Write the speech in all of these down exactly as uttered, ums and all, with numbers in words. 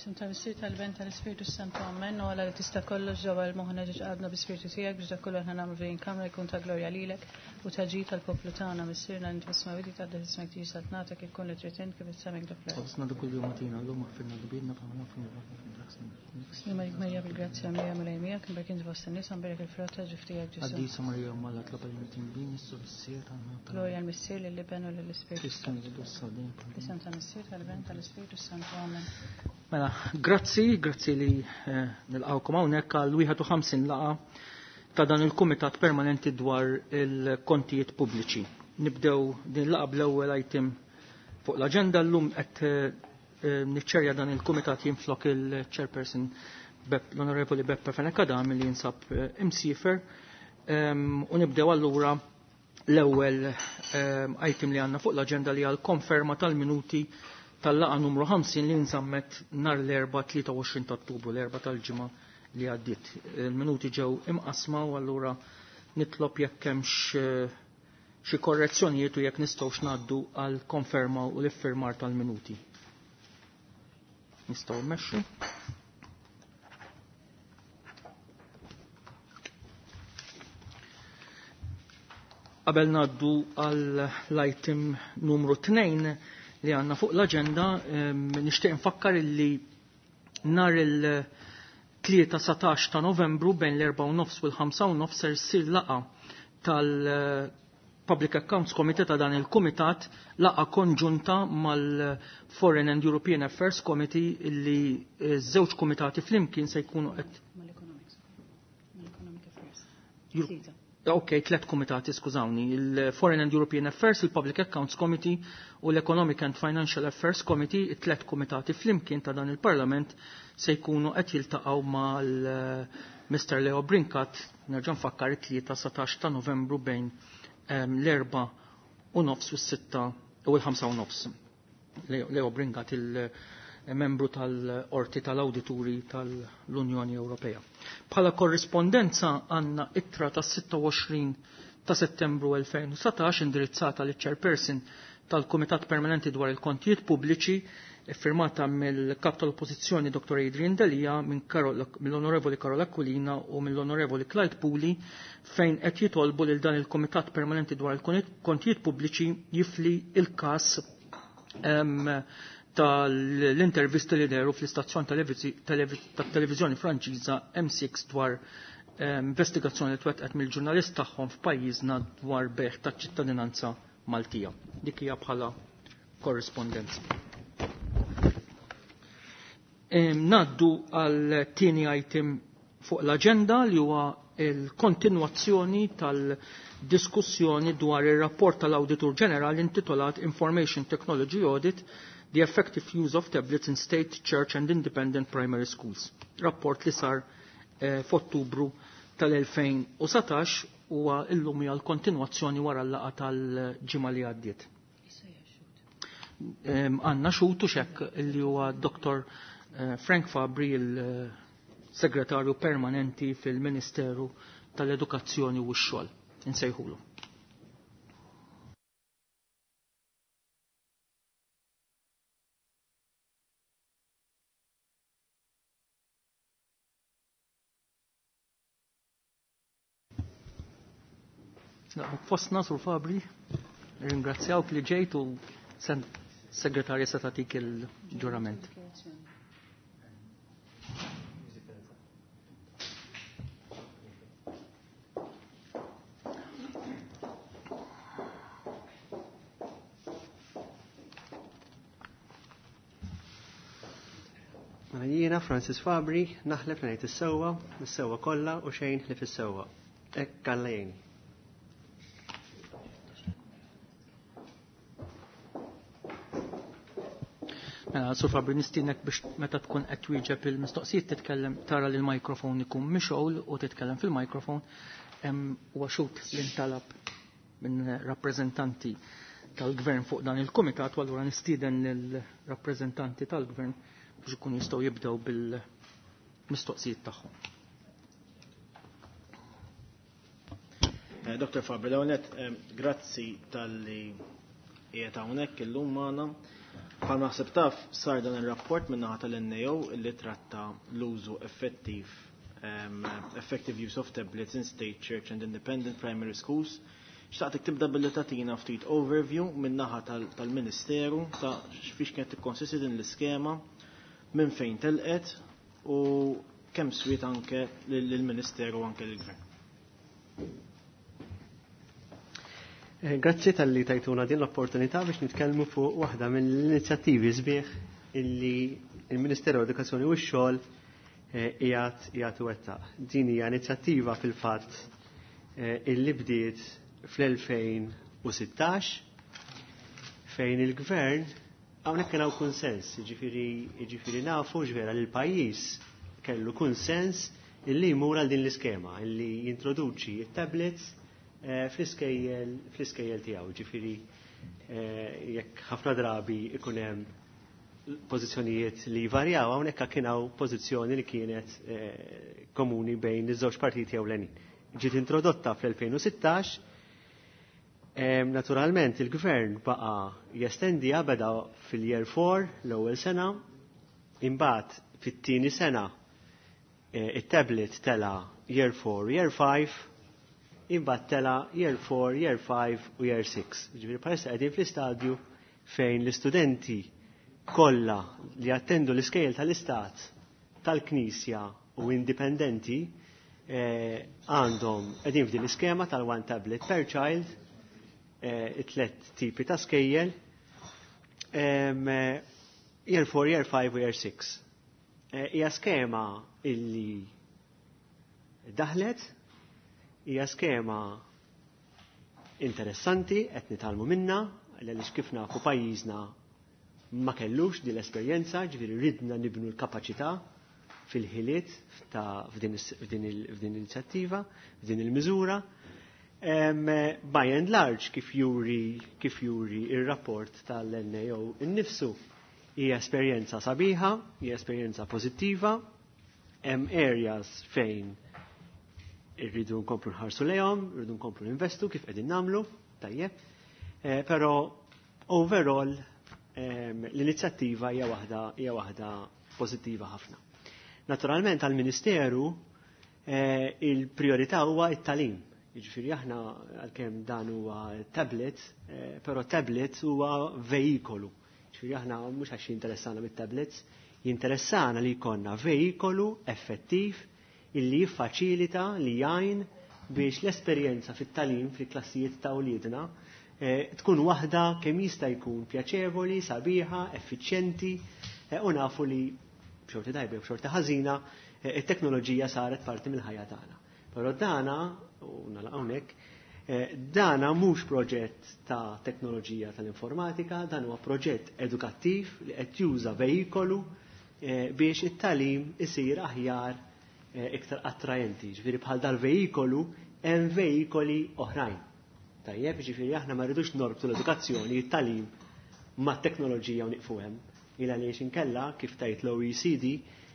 F'isem tal-Missier tal-Iben tal-Ispirtu Santu Amen. U Alla li tista' kollox ġewwa l-moħħna ġiex qalbna bi-Spirtu tiegħek biex dak kollu aħna nagħmlu f'din kamra jkun ta' glorja lilek u ta' ġid tal-poplu tagħna. Missierna li inti fis-smewwiet jitqaddes ismek tiġi saltnatek ikun li trid int kif is-sema hekk fl-art. Ħobżna ta' kuljum agħtina llum aħfirna dnubietna bħalma naħfru Slima lik Marija bil-grazzja mimlija Mulej miegħek, imberek inti fost in-nisa, mberek il-frott ta' ġuf tiegħek Ġesù. Qaddisa Marija Omm Alla itlob għalina midinbin issa u fis-siegħa tal-mewt tagħna. Glorja l-Missier lill-Iben u lill-Ispirtu. Kristu nżidu s-sodin. F'isem tal-Missier tal-Iben tal-Ispirtu Santu Amen. Mela, grazzi, grazzi li eh, nilqawkom hawnhekk għal wieħed u ħamsin laqgħa ta' dan il-Kumitat Permanenti dwar il-Kontijiet Pubbliċi. Nibdew din laqgħa bl-ewwel item fuq l-aġenda llum qed eh, niċċerja dan il-Kumitat jinflok il-Chairperson l-Onorevoli Beppe Fenech Adami li jinsab eh, imsifer. Ehm, u nibdew allura l-ewwel ehm, item li għandna fuq l-aġenda li għal konferma tal-minuti tal-laqa numru ħamsin li nżammet nar l-erba' tlieta u għoxrin ta' Ottubru, l-erba' tal-ġimgħa li għaddiet. Il-minuti ġew imqasma u allura nitlob jekk hemmx eh, xi korrezzjonijiet u jekk nistgħux ngħaddu għal konferma u l-iffirmar tal-minuti. Nistgħu mmexxu. Qabel ngħaddu għal l-item numru tnejn li għandna fuq l-aġenda, ehm, nixtieq nfakkar illi nhar il-tlieta satax ta' Novembru bejn l-erba' u nofs u l-ħamsa u nofs ser ssir laqgħa tal-Public Accounts Committee ta' dan il-Kumitat, laqgħa konġunta mal-Foreign and European Affairs Committee illi żewġ kumitati flimkien se jkunu qed Mal-Economics. Mal-Economic Affairs. Euro- Tlieta. Ok, tlet kumitati, skużawni, il-Foreign and European Affairs, il-Public Accounts Committee u l-Economic and Financial Affairs Committee, it-tlet kumitati flimkien ta' dan il-Parlament se jkunu qed jiltaqgħu mal-Mister Leo Brincat, nerġa' nfakkar it-tlieta satax ta' Novembru bejn, ehm, l-erba' u nofs u s-sitta u l-ħamsa u nofs. Leo, Leo Brincat, il-membru tal-Qorti tal-Awdituri tal-Unjoni Ewropea. Bħala korrispondenza għandna ittra tas sitta u għoxrin ta' Settembru elfejn u satax indirizzata liċ chairperson tal-Kumitat Permanenti dwar il-Kontijiet Pubbliċi, firmata mill-Kap tal-Oppożizzjoni Doktor Adrian Delia, minn Karol, mill-Onorevoli Karol Aquilina u mill-Onorevoli Clyde Puli, fejn qed jitolbu lil dan il-Kumitat Permanenti dwar il-Kontijiet Pubbliċi jifli il-każ, ehm, tal-intervista li deru fl-istazzjon televizi-, televi-, tat-televiżjoni Franċiża M six dwar, ehm, investigazzjoni li twettqet mill-ġurnalist tagħhom f'pajjiżna dwar beħ taċ-ċittadinanza Maltija. Dik hija bħala korrispondenza. Ehm, naddu għal tieni item fuq l-aġenda li huwa il-kontinwazzjoni tal-diskussjoni dwar ir-rapport tal-Awditur Ġenerali intitolat Information Technology Audit, The Effective Use of Tablets in State, Church and Independent Primary Schools. Rapport li sar, eh, f'Ottubru tal-elfejn u satax huwa illum hija l-kontinwazzjoni wara l-laqgħa tal-ġimgħa li għaddiet. Ehm, għandna xutu xekk li huwa Doktor, eh, Frank Fabri, il-segretarju permanenti fil-Ministeru tal-Edukazzjoni u x-Xogħol. Insejħulu. Naqbuk fostna, Sur Fabri, ringrazzjawk li ġejt u sen segretarja se tagħtik il-ġurament. Mela jiena Francis Fabri, naħlef li ngħid is-sewwa, is-sewwa kollha u xejn ħlief is-sewwa. Hekk Alla jgħinni. Mela, Sur Fabri, nistiednek biex meta tkun qed twieġeb il-mistoqsijiet titkellem, tara li l-mikrofon ikun mixgħul u titkellem fil-mikrofon. Hemm huwa xut li ntalab minn rappreżentanti tal-gvern fuq dan il-kumitat, u allura nistieden lill-rappreżentanti tal-gvern biex ikunu jistgħu jibdew bil-mistoqsijiet tagħhom. Eh, Doktor Fabri, l-ewwel nett, eh, grazzi tal-li qiegħed hawnhekk illum magħna. Bħal naħseb taf sar dan ir-rapport min-naħa tal-N A O li tratta l-użu effettiv um, effective use of tablets in state, church and independent primary schools. Xtaqtek tibda billi tagħtina ftit overview min-naħa tal-Ministeru ta' fiex kienet tikkonsisti din l-iskema, minn fejn telqet u kemm swiet anke lill-Ministeru, anke lill-Gvern. Eh, grazzi talli tajtuna din l-opportunità biex nitkellmu fuq waħda mill-inizjattivi sbieħ illi il-Ministeru Edukazzjoni u x-Xogħol eh, qiegħed qiegħed iwettaq. Din hija inizjattiva fil-fatt eh, illi bdiet fl-elfejn u sittax fejn il-gvern hawnhekk kien hawn kunsens, jiġifieri jiġifieri nafu ġvera li l-pajjiż kellu kunsens illi jmur għal din l-iskema, illi jintroduċi it-tablets Eh, fl-iskejjel fl-iskejjel tiegħu, ġifieri eh, jekk ħafna drabi ikun hemm pożizzjonijiet li jvarjaw, hawnhekk kien hawn pożizzjoni li kienet eh, komuni bejn iż-żewġ partiti ewlenin. Ġiet introdotta fl-elfejn u sittax. Naturalment il-gvern baqa jestendiha, beda fil-year four l-ewwel sena, imbagħad fit-tieni sena it-tablet tela year four, year five, imbagħad tela year four, year five u year six. Ġifieri bħalissa qegħdin fl-istadju fejn l-istudenti kollha li attendu l-iskejjel tal-istat, tal-Knisja u indipendenti eh, għandhom qegħdin f'din l-iskema tal-one tablet per child, eh, it-tlet tipi ta' skejjel, eh, year four, year five u year six. Hija skema illi daħlet, hija skema interessanti, qed nitgħallmu minna, għaliex kif nafu pajjiżna ma kellux din l-esperjenza, ġifieri ridna nibnu l-kapaċità fil-ħiliet ta' f'din l-inizjattiva, f'din il-miżura. By and large, kif juri kif juri il-rapport tal-N A O innifsu, hija esperjenza sabiħa, hija esperjenza pożittiva, hemm areas fejn irridu nkomplu nħarsu lejhom, irridu nkomplu ninvestu kif qegħdin nagħmlu, tajjeb. Eh, però overall l-inizjattiva hija waħda hija waħda pożittiva ħafna. Naturalment għall-Ministeru eh, il-priorità huwa it-tagħlim. Jiġifieri aħna għalkemm dan huwa tablet, eh, però tablet huwa veikolu. Jiġifieri aħna mhux għax jinteressana mit-tablets, jinteressana li jkollna veikolu effettiv illi jiffaċilita, li jgħin biex l-esperjenza fit-tagħlim fil-klassijiet ta' uliedna eh, tkun waħda kemm jista' jkun pjaċevoli, sabiħa, effiċjenti eh, u nafu li b'xorti tajba u b'xorti ħażina eh, it-teknoloġija saret parti mill-ħajja tagħna. Però dana, u nagħlaq hawnhekk, dana mhux proġett ta' teknoloġija tal-informatika, dan huwa proġett edukattiv li qed juża veikolu biex it-tagħlim isir aħjar, iktar attrajenti. Ġifieri bħal dal-veikolu hemm veikoli oħrajn. Tajjeb, ġifieri aħna ma rridux norbtu l-edukazzjoni, it-tagħlim ma' teknoloġija u nieqfu hemm. Illa li inkella, kif tgħid l-O E C D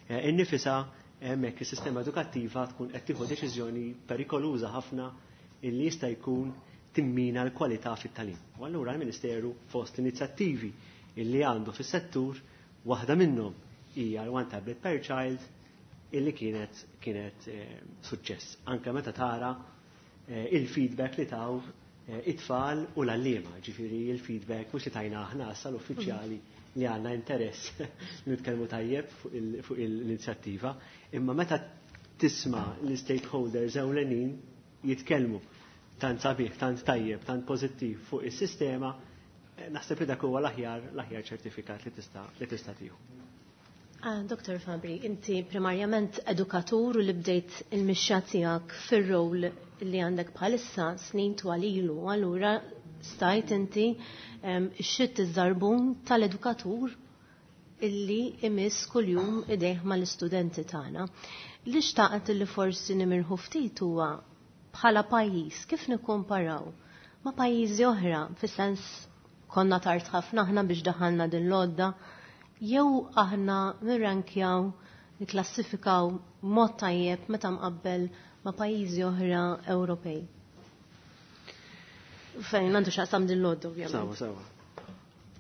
eh, innifisha, hemmhekk is-sistema edukattiva tkun qed tieħu deċiżjoni perikoluża ħafna illi jista' jkun timmina l-kwalità fit-tagħlim. U allura l-Ministeru fost l-inizjattivi illi għandu fis-settur, waħda minnhom hija l-one tablet per child illi kienet kienet eh, suċċess. Anke meta tara eh, il-feedback li taw eh, it-tfal u l-għalliema, ġifieri il-feedback mhux li tajna aħna issa l-uffiċjali li għandna interess li nitkellmu tajjeb fuq l-inizjattiva, imma meta tisma' l-stakeholders ewlenin jitkellmu tant sabiħ, tant tajjeb, tant pożittiv fuq is-sistema, naħseb li dak huwa l-aħjar l-aħjar ċertifikat li tista' li tista' tieħu. Ah, Doktor Fabri, inti primarjament edukatur u li bdejt il-mixja tiegħek fir-rol li għandek bħalissa snin twal ilu, allura stajt inti xitt iż-żarbun tal-edukatur illi imiss kuljum idejh mal-istudenti tagħna. Li xtaqt li forsi nimirħu ftit huwa bħala pajjiż kif nikkumparaw ma' pajjiżi oħra, fis-sens konna tard ħafna aħna biex daħalna din l-għodda, jew aħna nirrankjaw, niklassifikaw mod tajjeb meta mqabbel ma' pajjiżi oħra Ewropej? Fejn għandu x'jaqsam din l-għodda, ovvjament. Sawa, sawa.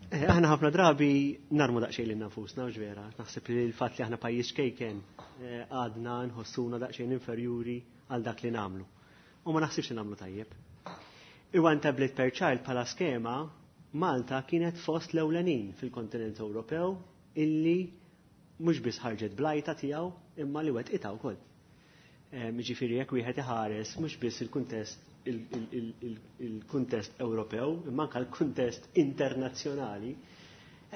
Eh, aħna ħafna drabi narmu daqsxejn lil nafusna, u vera. Naħseb li l-fatt li aħna pajjiż ċkejken eh, għadna nħossuna daqsxejn inferjuri għal dak li nagħmlu. U ma naħsibx li nagħmlu tajjeb. Il-One Tablet per Child bħala skema, Malta kienet fost l-ewlenin fil-kontinent Ewropew illi mhux biss ħarġet bl-idea tiegħu imma li wettqitha wkoll. Jiġifieri jekk wieħed iħares mhux biss il-kuntest il-kuntest Ewropew, imma anke l-kuntest internazzjonali,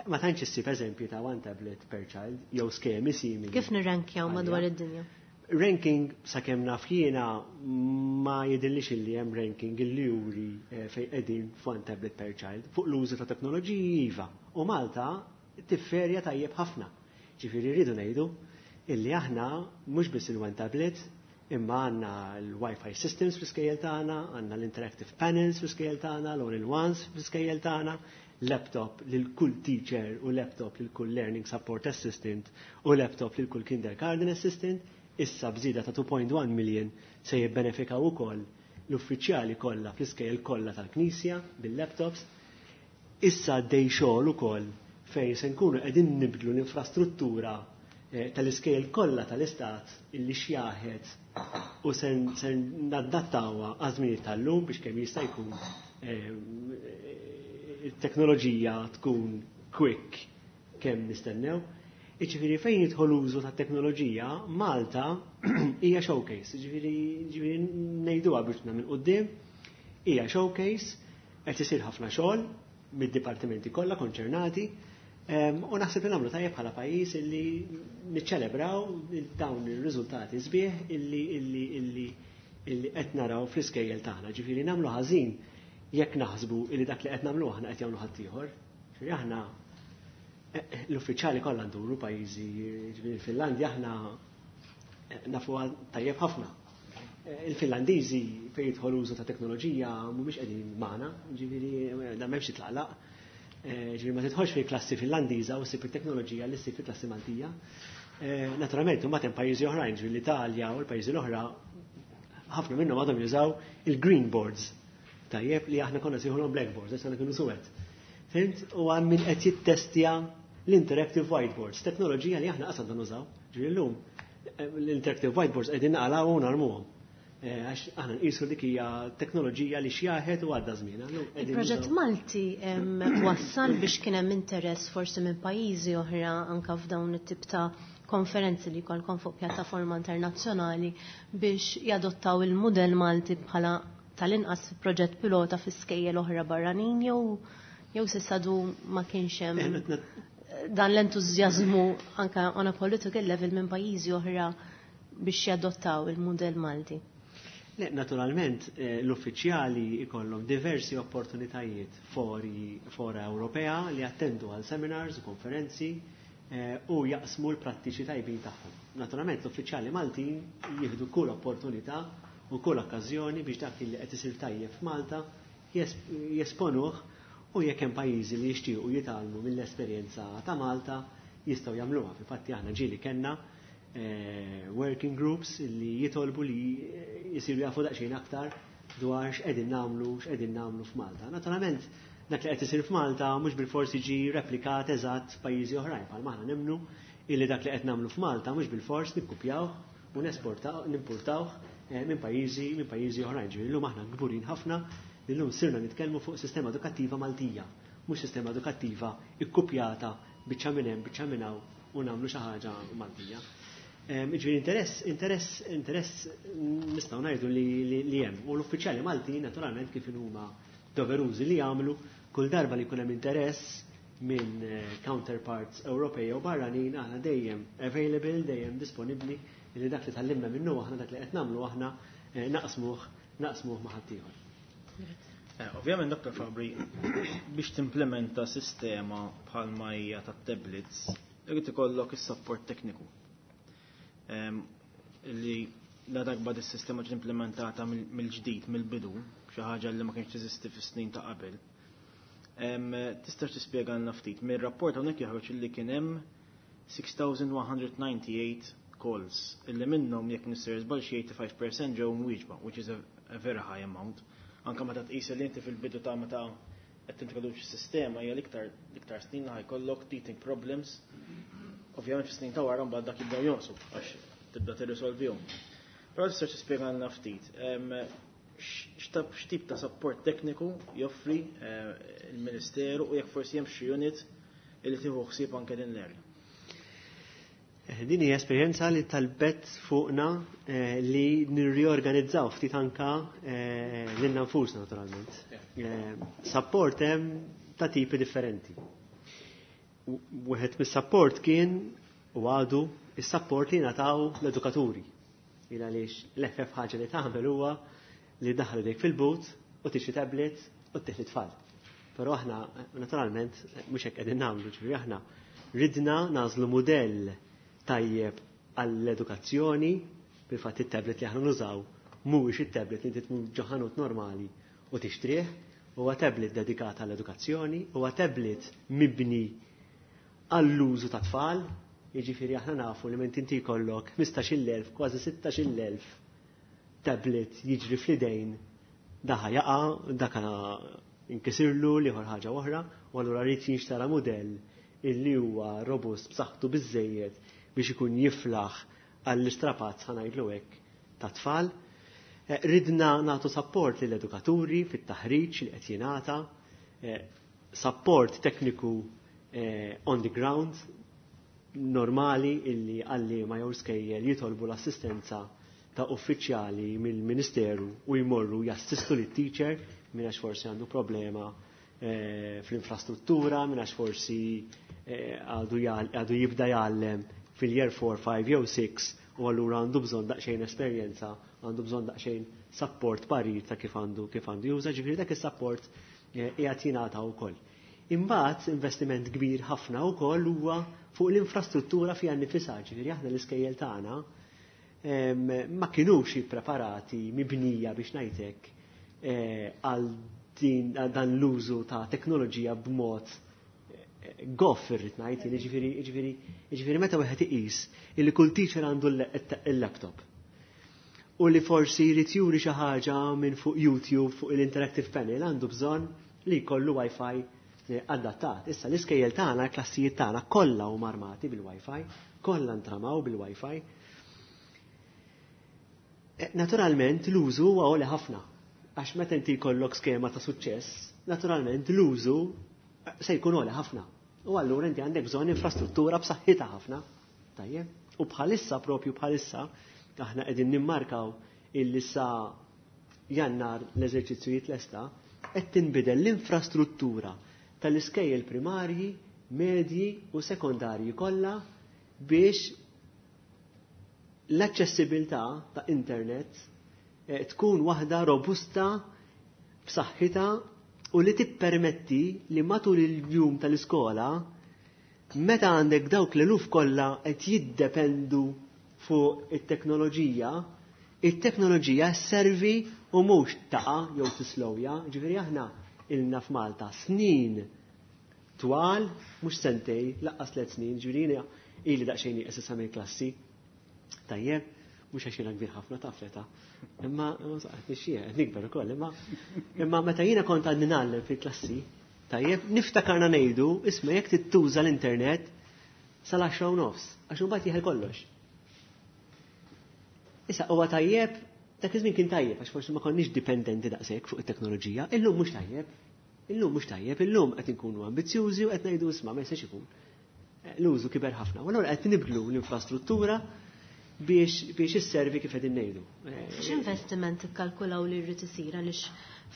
ma tantx issib eżempju ta' one tablet per child jew skemi simili. Kif nirrankjaw madwar id-dinja? Ranking, sakemm naf jiena, ma jidhirlix illi hemm ranking illi juri eh, fejn qegħdin f'one tablet per child fuq l-użu ta' teknoloġiji, iva. U Malta tifferja tajjeb ħafna. Ġifieri rridu ngħidu illi aħna mhux biss il-one tablet, imma għandna l-Wi-Fi systems fl-iskejjel tagħna, għandna l-interactive panels fl-iskejjel tagħna, l-all-in-ones fl-iskejjel tagħna, laptop lil kull teacher u laptop lil kull learning support assistant u laptop lil kull kindergarten assistant. Issa bżida ta' two point one million se jibbenefikaw ukoll l-uffiċjali kollha fl-iskejjel kollha tal-Knisja bil-laptops. Issa għaddej xogħol ukoll fejn se nkunu qegħdin nibdlu l-infrastruttura eh, tal-iskejjel kollha tal-istat illi xjaħet u se nadattawha għaż-żmien tal-lum biex kemm jista' jkun eh, it-teknoloġija tkun quick kemm nistennew. Iġifieri fejn jidħol użu ta' teknoloġija, Malta hija showcase. Ġifieri ġifieri ngħiduha biex minn quddiem, hija showcase, qed isir ħafna xogħol mid-dipartimenti kollha konċernati, u naħseb li nagħmlu tajjeb bħala pajjiż illi niċċelebraw dawn ir-riżultati sbieħ illi illi illi illi qed naraw fl-iskejjel tagħna. Ġifieri nagħmlu ħażin jekk naħsbu illi dak li qed nagħmlu aħna qed jagħmlu ħaddieħor. Ġifieri aħna eh, l-uffiċjali kollha nduru pajjiżi, ġifieri il-Finlandja aħna eh, nafu tajjeb ħafna. Eh, Il-Finlandiżi fejn jidħol użu ta' teknoloġija mhumiex qegħdin magħna, ġifieri da m'hemmx titlaqlaq. Ġifieri ma tidħolx fi klassi Finlandiża u ssib it-teknoloġija li ssib fi klassi Maltija. Naturalment, huma hemm pajjiżi oħrajn, ġifieri l-Italja u l-pajjiżi l-oħra, ħafna minnhom għadhom jużaw il-green boards. Tajjeb, li aħna konna nsejħulhom blackboards, issa kienu suwed. Fhimt? U hemm min qed jittestja l-interactive whiteboards, teknoloġija li aħna qasad nużaw. Ġifieri llum l-interactive whiteboards qegħdin naqalgħu u narmuhom. Eh, għax aħna nqisu dik hija teknoloġija li xjaħet u għadda żmien. Il-proġett Malti wassal biex kien hemm interess forsi minn pajjiżi oħra, anka f'dawn it-tip ta' konferenzi li jkollkom fuq pjattaforma internazzjonali, biex jadottaw il-mudell Malti bħala tal-inqas proġett pilota fi skejjel oħra barranin, jew jew s'issa għadu ma kienx hemm eh, dan l-entużjażmu anka on a political level minn pajjiżi oħra biex jadottaw il-mudell Malti? Le, naturalment, eh, l-uffiċjali ikollhom diversi opportunitajiet fori fora Ewropea li attendu għal seminars u konferenzi eh, u jaqsmu l-prattiċi tajbin tagħhom. Naturalment, l-uffiċjali Maltin jieħdu kull opportunità u kull okkażjoni biex dak li qed isir tajjeb f'Malta jesponuh, u jekk hemm pajjiżi li jixtiequ jitgħallmu mill-esperjenza ta' Malta jistgħu jagħmluha. Fil-fatti aħna ġieli kellna eh, working groups li jitolbu li jisiru jafu daqsxejn aktar dwar x'qegħdin nagħmlu x'qegħdin nagħmlu f'Malta. Naturalment, dak li qed isir f'Malta mhux bil-forsi ġi replikat eżatt f'pajjiżi oħrajn, bħalma aħna nemmnu illi dak li qed nagħmlu f'Malta mhux bil-fors nikkupjawh u nesportaw nimportawh eh, minn pajjiżi minn pajjiżi oħrajn. Ġifieri llum aħna kburin ħafna li llum sirna nitkellmu fuq sistema edukattiva Maltija, mhux sistema edukattiva ikkupjata biċċa minn hemm, biċċa minn hawn u nagħmlu xi ħaġa Maltija. Ġifieri interess, interess, interess nistgħu ngħidu li, li, li hemm. U l-uffiċjali Malti naturalment kif huma doverużi li jagħmlu kull darba li jkun hemm interess minn eh, counterparts Ewropej u barranin, aħna dejjem available, dejjem disponibbli li dak li tgħallimna minnu aħna, dak li qed nagħmlu aħna, eh, naqsmuh naqsmuh ma' ħaddieħor. Eh, ovvjament, Doktor Fabri, biex timplementa sistema bħalma hija tat-tablets, irid ikollok is-support tekniku. Li la darba dis-sistema ġiet implementata mill-ġdid, mill-bidu, xi ħaġa li ma kienx teżisti fis-snin ta' qabel. Tistax tispjegalna ftit? Mir-rapport hawnhekk joħroġ li kien hemm six thousand one hundred ninety-eight calls, illi minnhom, jekk nista' żball, xi eighty-five percent ġew mwieġba, which is a, a very high amount. Anka meta tqis li inti fil-bidu ta' meta qed tintroduċi sistema hija l-iktar l-iktar snin li ħa jkollok teething problems. Ovvjament fis-snin ta' wara mbagħad dak jibdew jonqsu għax tibda tirrisolvihom. Però tista' tispjegalna ftit x'tip ta' support tekniku joffri eh, il-Ministeru u jekk forsi hemm xi unit li tieħu ħsieb anke din l-area. Eh, din hija esperjenza li talbet fuqna eh, li nirriorganizzaw ftit anka lilna nfusna naturalment. Support hemm ta' tipi differenti. Wieħed mis-support kien u għadu is-support li nataw l-edukaturi. Il għaliex l-eħfef ħaġa li tagħmel huwa li daħlu dik fil-but u tixtri tablet u ttih lit-tfal. Però aħna naturalment mhux hekk qegħdin nagħmlu, ġifieri aħna ridna nagħżlu mudell tajjeb għall-edukazzjoni, bil-fatt it-tablet li aħna nużaw mhuwiex it-tablet li inti tmur ġo ħanut normali u tixtrih, huwa tablet dedikat għall-edukazzjoni, huwa tablet mibni għall-użu ta' tfal, jiġifieri aħna nafu li minn inti jkollok ħmistax-il elf, kważi sittax-il elf tablet jiġri fl-idejn, dak ħa jaqa', dak inkisirlu l-ieħor ħaġa oħra, u allura rrid jinxtara mudell illi huwa robust b'saħħtu biżejjed biex ikun jiflaħ għall-istrapazz, ħa ngħidlu hekk, ta' tfal. Eh, ridna nagħtu support lill-edukaturi fit-taħriġ li qed jingħata, eh, support tekniku eh, on the ground normali illi għalliema jew skejjel jitolbu l-assistenza ta' uffiċjali mill-Ministeru u jmorru jassistu lit teacher minn għax forsi għandu problema eh, fl-infrastruttura, minn għax forsi eh, għadu għadu jibda jgħallem fil-year four, five jew six u allura għandu bżonn daqsxejn esperjenza, għandu bżonn daqsxejn support parir ta' kif għandu kif għandu juża, ġifieri dak is-support eh, qiegħed jingħata wkoll. Imbagħad investiment kbir ħafna wkoll huwa fuq l-infrastruttura fiha nnifisha, ġifieri aħna l-iskejjel tagħna ma kinux ippreparati mibnija biex ngħidlek eh, għal din dan l-użu ta' teknoloġija b'mod eh, goff irrid ngħid, jiġifieri jiġifieri jiġifieri meta wieħed iqis illi kull teacher għandu l-laptop u li forsi jrid juri xi ħaġa minn fuq YouTube fuq il-interactive panel għandu bżonn li jkollu Wi-Fi eh, adattat. Issa l-iskejjel tagħna, l-klassijiet tagħna kollha huma armati bil-Wi-Fi, kollha ntramaw bil-Wi-Fi. Eh, naturalment l-użu huwa għoli ħafna. Għax meta inti jkollok skema ta' suċċess, naturalment l-użu se jkun għoli ħafna. U allura inti għandek bżonn infrastruttura b'saħħitha ħafna. Tajjeb? U bħalissa propju bħalissa aħna qegħdin nimmarkaw illi sa Jannar l-eżerċizzju jitlesta, qed tinbidel l-infrastruttura tal-iskejjel primarji, medji u sekondarji kollha biex l-aċċessibilità ta' internet eh, tkun waħda robusta b'saħħitha u li tippermetti li matul il-jum tal-iskola meta għandek dawk l-eluf kollha qed jiddependu fuq it-teknoloġija, it-teknoloġija servi u mhux taqa' jew tislowja, ġifieri aħna ilna f'Malta snin twal, mhux sentejn, lanqas tliet snin, ġifieri ili daqsxejn nieqes issa mill-klassi. Tajjeb, mhux għax jiena kbir ħafna ta' fleta. Imma qed nixxieha, qed nikber ukoll, imma imma meta jiena kont għadni ngħallem fil-klassi, tajjeb, niftakarna ngħidu, isma' jekk tittuża l-internet sal-għaxra u nofs, għax imbagħad jeħel kollox. Issa huwa tajjeb, dak iż-żmien kien tajjeb għax forsi ma konniex dipendenti daqshekk fuq it-teknoloġija, illum mhux tajjeb. Illum mhux tajjeb, illum qed inkunu ambizzjużi u qed ngħidu isma' ma jistax ikun. L-użu kiber ħafna. U allura qed nibdlu l-infrastruttura biex biex isservi kif qegħdin ngħidu. X'investiment ikkalkulaw li jrid isir għaliex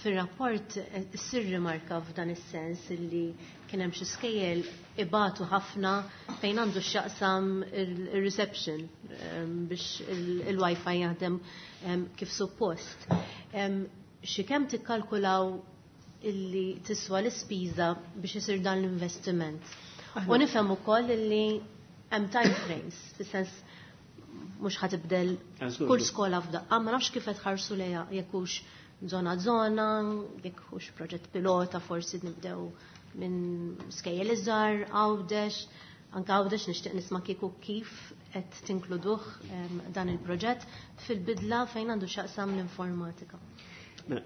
fir-rapport issir rimarka f'dan is-sens li kien hemm xi skejjel ibatu ħafna fejn għandu x'jaqsam il-reception biex il-Wi-Fi jaħdem kif suppost. Xi kemm tikkalkulaw illi tiswa l-ispiża biex isir dan l-investiment? U nifhem ukoll illi hemm time frames, fis-sens mhux ħa tibdel kull skola f'daqqa, ma nafx kif qed ħarsu lejha jekk hux zona zona, jekk hux proġett pilota, forsi nibdew minn skejjel iżgħar, Għawdex, anke Għawdex nixtieq nisma' kieku kif qed tinkluduh dan il-proġett fil-bidla fejn għandu x'jaqsam l-informatika. Mela,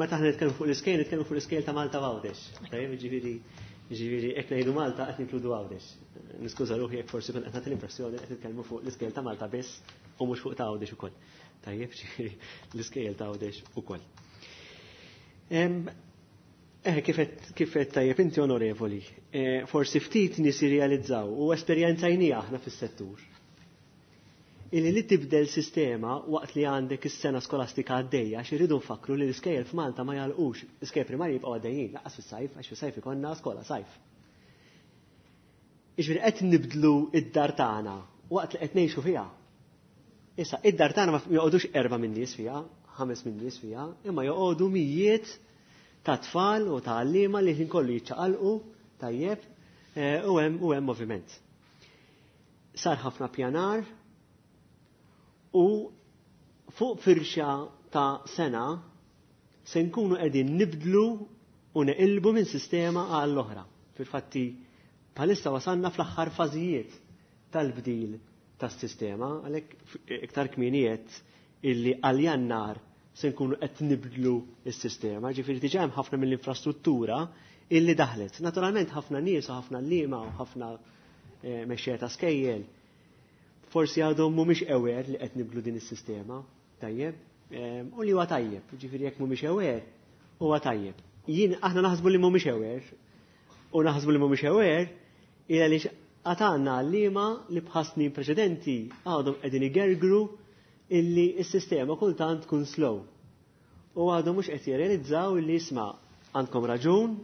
Meta aħna nitkellmu fuq l-iskejjel, nitkellmu fuq l-iskejjel ta' Malta Għawdex. Tajjeb, ġifieri ġifieri jekk ngħidu Malta qed ninkludu Għawdex. Niskuża ruħi jekk forsi kont qed nagħti l-impressjoni qed nitkellmu fuq l-iskejjel ta' Malta biss u mhux fuq ta' Għawdex ukoll. Tajjeb, ġifieri l-iskejjel ta' Għawdex ukoll. Eh, kif qed tajjeb inti onorevoli, eh, forsi ftit nies jirrealizzaw u esperjenzajnija aħna fis-settur. Illi li tibdel sistema waqt li għandek is-sena skolastika għaddejja, għax irridu nfakru li l-iskejjel f'Malta ma jagħlqux, l-iskejjel primarji jibqgħu għaddejjin, lanqas fis-sajf, għax fis-sajf ikollna skola sajf. Jiġifieri qed nibdlu id-dar tagħna waqt li qed ngħixu fiha. Issa, id-dar tagħna ma joqogħdux erba' minn nies fiha, ħames minn nies fiha, imma joqogħdu mijiet ta' tfal u ta' għalliema li ħin kollu jiċċaqalqu tajjeb eh, u hemm u hemm moviment. Sar ħafna pjanar u fuq firxa ta' sena se nkunu qegħdin nibdlu u neqilbu minn sistema għall oħra. Fil-fatti bħalissa wasalna fl-aħħar fażijiet tal-bdil tas-sistema, għalhekk iktar kmienijiet illi għal Jannar se nkunu qed nibdlu s-sistema, ġifieri diġà hemm ħafna mill-infrastruttura illi daħlet. Naturalment ħafna nies u ħafna għalliema u ħafna eh, mexxejja ta' skejjel forsi għadhom mhumiex aware li qed nibdlu din is-sistema, tajjeb, u li huwa tajjeb, ġifieri jekk mhumiex aware, huwa tajjeb. Jien aħna naħsbu li mhumiex aware, u naħsbu li mhumiex aware ila li għatanna għalliema li bħas snin preċedenti għadhom qegħdin igergru illi s-sistema kultant tkun slow. U għadhom mhux qed jirrealizzaw illi isma' għandkom raġun,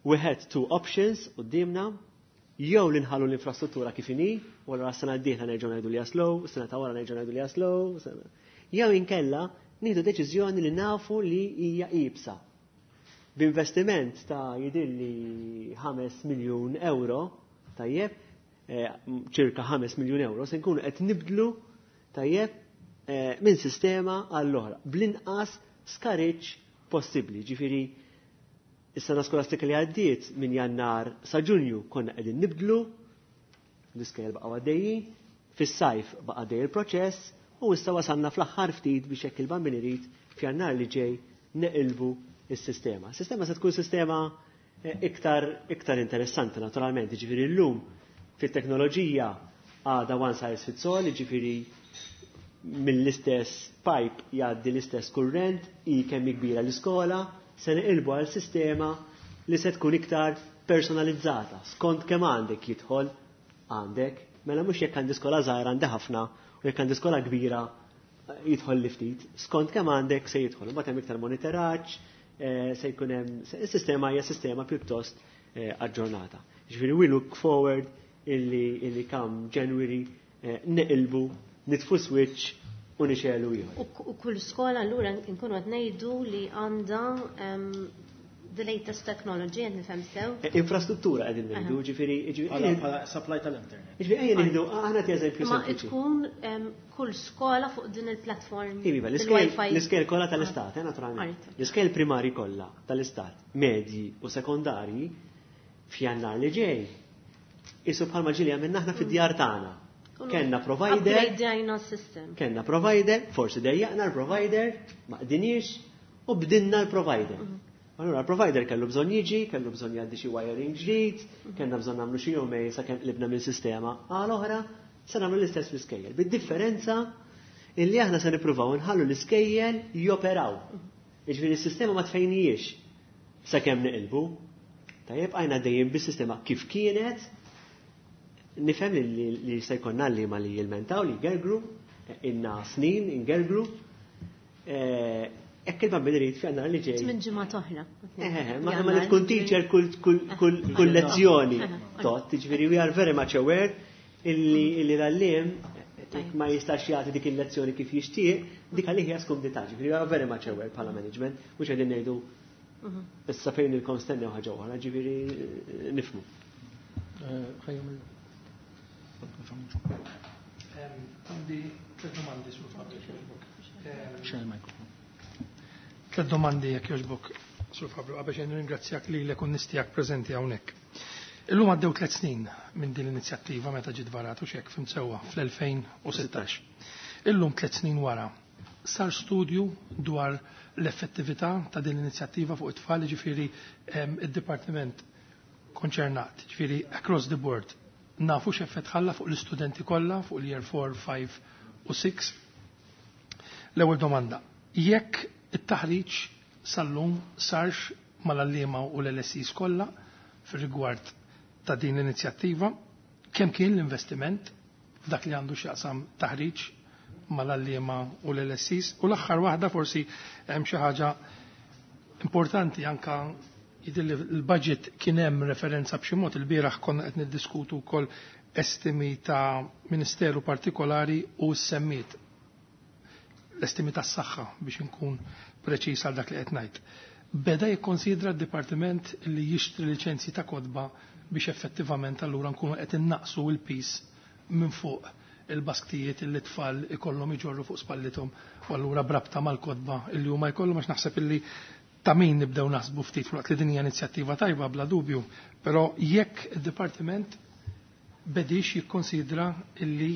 we had two options quddiemna, jew li nħallu l-infrastruttura kif inhi, u allura s-sena d-dieħla nerġgħu ngħidu li slow, s-sena ta' wara nerġgħu ngħidu li slow, jew inkella nieħdu deċiżjoni li nafu li hija iebsa. B'investiment ta' jidilli ħames miljun euro, tajjeb, eh, ċirka ħames miljun euro, se nkunu qed nibdlu tajjeb eh, minn sistema għall-oħra, bl-inqas skariġġ possibbli. Ġifieri is-sena skolastika li għaddiet minn Jannar sa Ġunju konna qegħdin nibdlu, l-iskejjel baqgħu għaddejjin, fis-sajf baqa' għaddej il-proċess u issa wasalna fl-aħħar ftit biex hekk il-Bambin irid f'Jannar li ġej neqilbu is-sistema. Sistema se tkun sistema eh, iktar iktar interessanti naturalment, ġifieri llum fit-teknoloġija għada one size fits all, ġifieri mill-istess pipe jgħaddi l-istess kurrent, i kemm kbira l-iskola, se neqilbu għal sistema li se tkun iktar personalizzata. Skont kemm għandek jidħol għandek, mela mhux jekk għandi skola żgħira għandi ħafna u jekk għandi skola kbira jidħol li ftit. Skont kemm għandek se jidħol. Imbagħad hemm iktar monitoraġġ, eh, se jkun hemm is-sistema hija sistema pjuttost eh, aġġornata. Ġifieri we look forward illi illi come January eh, neqilbu, nitfu switch u nixegħlu ieħor. U kull skola allura nkunu qed ngħidu li għandha the latest technology, qed nifhem sew? Infrastruttura qegħdin ngħidu, ġifieri Bħala supply tal-internet. Ġifieri ejja nieħdu aħna ti eżempju Ma tkun kull skola fuq din il-platform. Iva, l-iskejjel kollha tal-istat, eh, naturalment. L-iskejjel primari kollha tal-istat, medji u sekondarji f'Jannar li ġej. Isu bħalma ġieli għamilna aħna fid-djar tagħna. Kenna provider. Upgradeajna s-system. Kenna provider, forsi dejjaqna l-provider, ma qdinix, u bdinna l-provider. Allura l-provider kellu bżonn jiġi, kellu bżonn jgħaddi xi wiring ġdid, kellna bżonn nagħmlu xi jumej sakemm qlibna minn sistema għal oħra, se nagħmlu l-istess fl-iskejjel. Bid-differenza illi aħna se nippruvaw nħallu l-iskejjel joperaw. Jiġifieri s-sistema ma tfejnijiex sakemm neqilbu. Tajjeb, għajna dejjem bis-sistema kif kienet, nifhem li, li se jkollna li ma li jilmentaw, li jgergru, inna snin ingergru. Hekk il-Bambin irid f'Jannar li ġej. Minn ġimgħa oħra. Eh, ma ma li tkun teacher kull kull kull kull lezzjoni. Tot, jiġifieri we are very much aware illi illi l-għalliem ma jistax jagħti dik il-lezzjoni kif jixtieq, dik għalih hija skumdità. Ġifieri we are very much aware bħala management, mhux qegħdin ngħidu issa fejn ilkom stennew ħaġa oħra, ġifieri nifhmu. Ħajjum Għandi tliet domandi Sur Fabri jogħġbok. Xejn il-mikrofon. Tliet domandi jekk jogħġbok Sur Fabri, qabel xejn nirringrazzjak lilek u nistijak preżenti hawnhekk. Illum għaddew tliet snin minn din l-inizjattiva meta ġiet varat u xek fim sewwa fl-elfejn u sittax. Illum tliet snin wara, Sar studju dwar l-effettività ta' din l-inizjattiva fuq it-tfal, ġifieri id-dipartiment konċernat, ġifieri across the board. Nafu x'effett ħalla fuq l-istudenti kollha fuq l-year four, five u six. L-ewwel domanda, jekk it-taħriġ sal-lum sarx mal-għalliema u l-L S Es kollha fir-rigward ta' din l-inizjattiva, kemm kien l-investiment f'dak li għandu x'jaqsam taħriġ mal-għalliema u l-L S Es, u l-aħħar waħda, forsi hemm xi ħaġa importanti anka jidhirli l-budget kien hemm referenza b'xi mod, il-bieraħ konna qed niddiskutu wkoll estimi ta' ministeru partikolari u semmiet l-estimi tas-saħħa, biex inkun preċiż għal dak li qed ngħid. Beda jikkonsidra d-dipartiment li jixtri liċenzji ta' kotba biex effettivament allura nkunu qed innaqsu l-piż minn fuq il-basktijiet li tfal ikollhom iġorru fuq spallithom u allura brabta mal-kotba illi huma jkollhom, għax naħseb illi ta' min nibdew naħsbu ftit fuq li din hija inizjattiva tajba bla dubju, però jekk id-dipartiment bedix jikkonsidra illi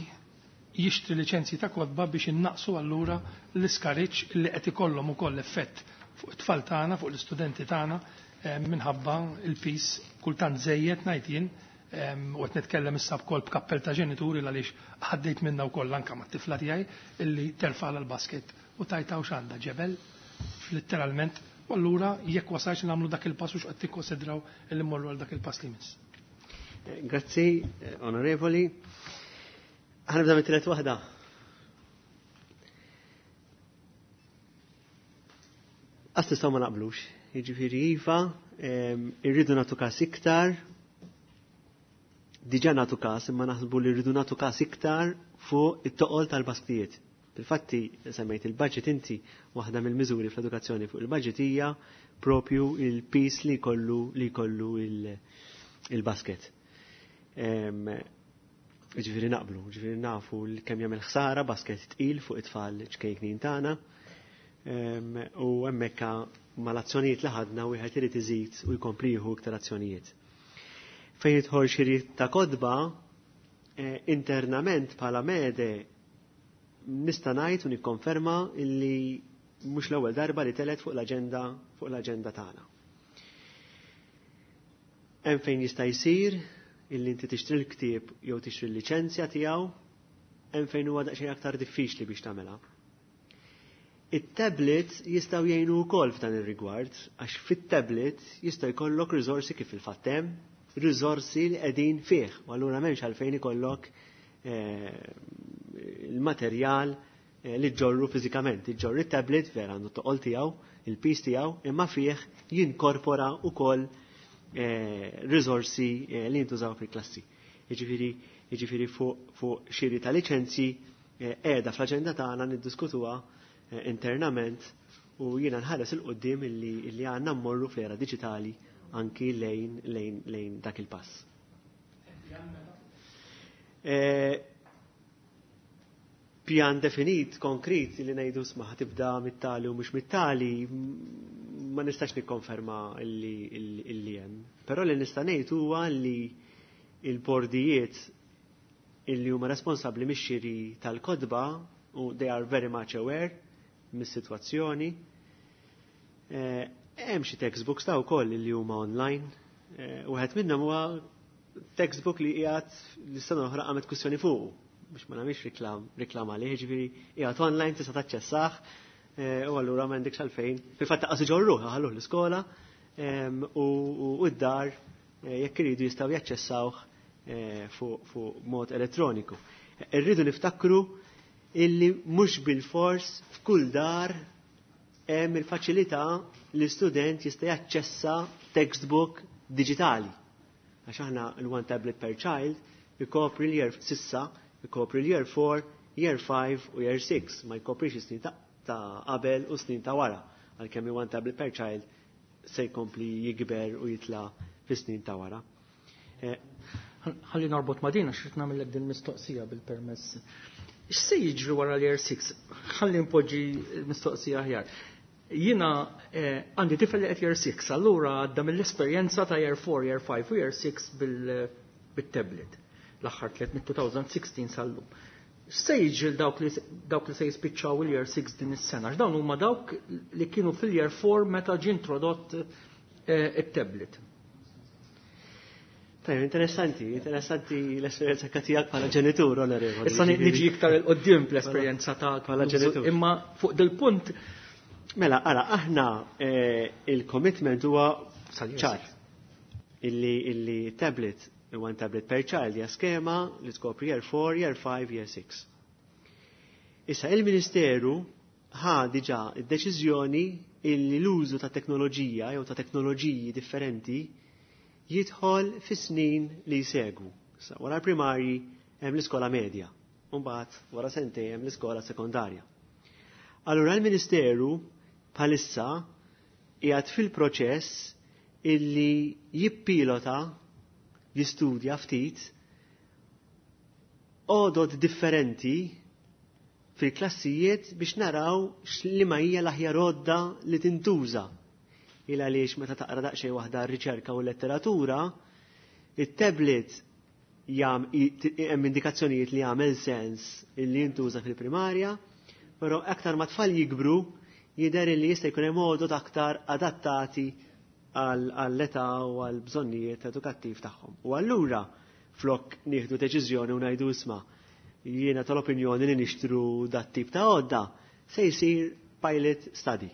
jixtri liċenzji ta' kotba biex innaqsu allura l-iskariċ li qed ikollhom ukoll effett fuq it-tfal tagħna, fuq l-istudenti tagħna eh, minħabba il-piż kultant żejjed ngħid jien, u qed nitkellem issa wkoll b'kappell ta' ġenituri għaliex ħaddejt minna wkoll anke mat-tifla tiegħi illi terfa' l-basket u tajta u x'għandha ġebel literalment, u allura jekk wasalx nagħmlu dak il-pass u x'qed tikkonsidraw illi mmorru għal dak il-pass li miss. Grazzi, onorevoli. Ħa nibda mit-tielet waħda. Għas nistgħu ma naqblux. Jiġifieri iva, irridu nagħtu każ iktar, diġà nagħtu każ, imma naħsbu li rridu nagħtu każ iktar fuq it-toqol tal-basktijiet. Fil-fatti semmejt il-budget inti, waħda mill-miżuri fl-edukazzjoni fuq il-budget hija propju il-piż li jkollu li jkollu il-basket. Ġifieri naqblu, ġifieri nafu kemm jagħmel ħsara basket tqil fuq it-tfal ċkejknin tagħna. U hemmhekk mal-azzjonijiet li ħadna wieħed irid iżid u jkompli jieħu iktar azzjonijiet. Fejn jidħol xiri ta' kotba, eh, internament bħala MEDE nista' ngħid u nikkonferma illi mhux l-ewwel darba li telet fuq l-aġenda fuq l-aġenda tagħna. Hemm fejn jista' jsir illi inti tixtri l-ktieb jew tixtri l-liċenzja tiegħu, hemm fejn huwa daqsxejn aktar diffiċli biex tagħmilha. It-tablet jistgħu jgħinu wkoll f'dan ir-rigward, għax fit-tablet jista' jkollok riżorsi, kif il-fatt hemm, riżorsi li qegħdin fih, u allura m'hemmx għalfejn ikollok eh, il-materjal eh, li ġorru fiżikament. Iġorru it-tablet, vera għandu toqol tiegħu, il-piż tiegħu, imma fih jinkorpora wkoll eh, riżorsi li jintużaw fil-klassi. Jiġifieri jiġifieri fuq xiri ta' liċenzji, qiegħda fl-aġenda tagħna, niddiskutuha internament u jiena nħares 'il quddiem illi, illi għandna mmorru fl-era diġitali anki lejn, lejn, lejn dak il-pass. E, pjan definit, konkret, li ngħidu sma tibda mit-tali u mhux mit-tali, ma nistax nikkonferma illi, illi hemm. Però li nista' ngħid huwa li il-bordijiet illi huma responsabbli mix-xiri tal-kotba u they are very much aware mis-sitwazzjoni. Eh, hemm xi textbooks ta' wkoll li huma online. Eh, wieħed minnhom huwa textbook li qiegħed li sena oħra qamet kwistjoni fuq biex ma nagħmilx reklam reklam għalih, ġifieri qiegħed online, tista' taċċessah eh, u allura m'għandekx għalfejn. Fil-fatt qas iġorruh, ħalluh l-iskola u d-dar jekk iridu jistgħu jaċċessawh fuq mod elettroniku. Irridu niftakru illi mhux bil-fors f'kull dar hemm il-faċilità li student jista' jaċċessa textbook digitali. Għax aħna l-one tablet per child ikopri l-year s'issa, ikopri l-year four, year five u year six, ma jkoprix snin ta' qabel u snin ta' wara. Għalkemm one tablet per child se jkompli jikber u jitla fi snin ta' wara. Eh, ħalli norbot ma' din għax nagħmellek din mistoqsija bil-permess. X'se jiġri wara l-year six? Ħalli npoġġi mistoqsija aħjar. Jiena eh, għandi tifel li qed year six, allura għadda mill-esperjenza ta' year four, year five u year six bil-tablet. L-aħħar tliet mit-elfejn u sittax sal-lum. X'se jiġri dawk li dawk li se jispiċċaw il-year six din is-sena? X'dawn huma dawk li kienu fil-year four meta ġie introdott it-tablet. Tajjeb, interessanti, interessanti l-esperjenza tiegħek bħala ġenitur, onorevoli. Issa niġi iktar 'il quddiem l-esperjenza ta' bħala ġenitur. Imma fuq dil-punt Mela, ara, aħna il-commitment huwa ċar. Illi, illi tablet, one tablet per child, hija skema li tkopri year four, year five, year six. Issa il-Ministeru ħa diġà id-deċiżjoni illi l-użu ta' teknoloġija jew ta' teknoloġiji differenti jidħol fis-snin li jsegwu. Issa wara l-primarji hemm l-iskola medja, u mbagħad wara sentejn hemm l-iskola sekondarja. Allura l-Ministeru bħalissa qiegħed fil-proċess illi jippilota, jistudja ftit għodod differenti fil-klassijiet biex naraw x'liema hija l-aħjar għodda li tintuża. Il għaliex meta taqra daqsxejn waħda r-riċerka u l-letteratura, it-tablet hemm indikazzjonijiet li jagħmel sens illi jintuża fil-primarja, però aktar ma tfal jikbru jidher li jista' jkun hemm għodod aktar adattati għall-età u għall-bżonnijiet edukattiv tagħhom. U allura flok nieħdu deċiżjoni u ngħidu isma' jiena tal-opinjoni li nixtru dat tip ta' għodda, se jsir pilot study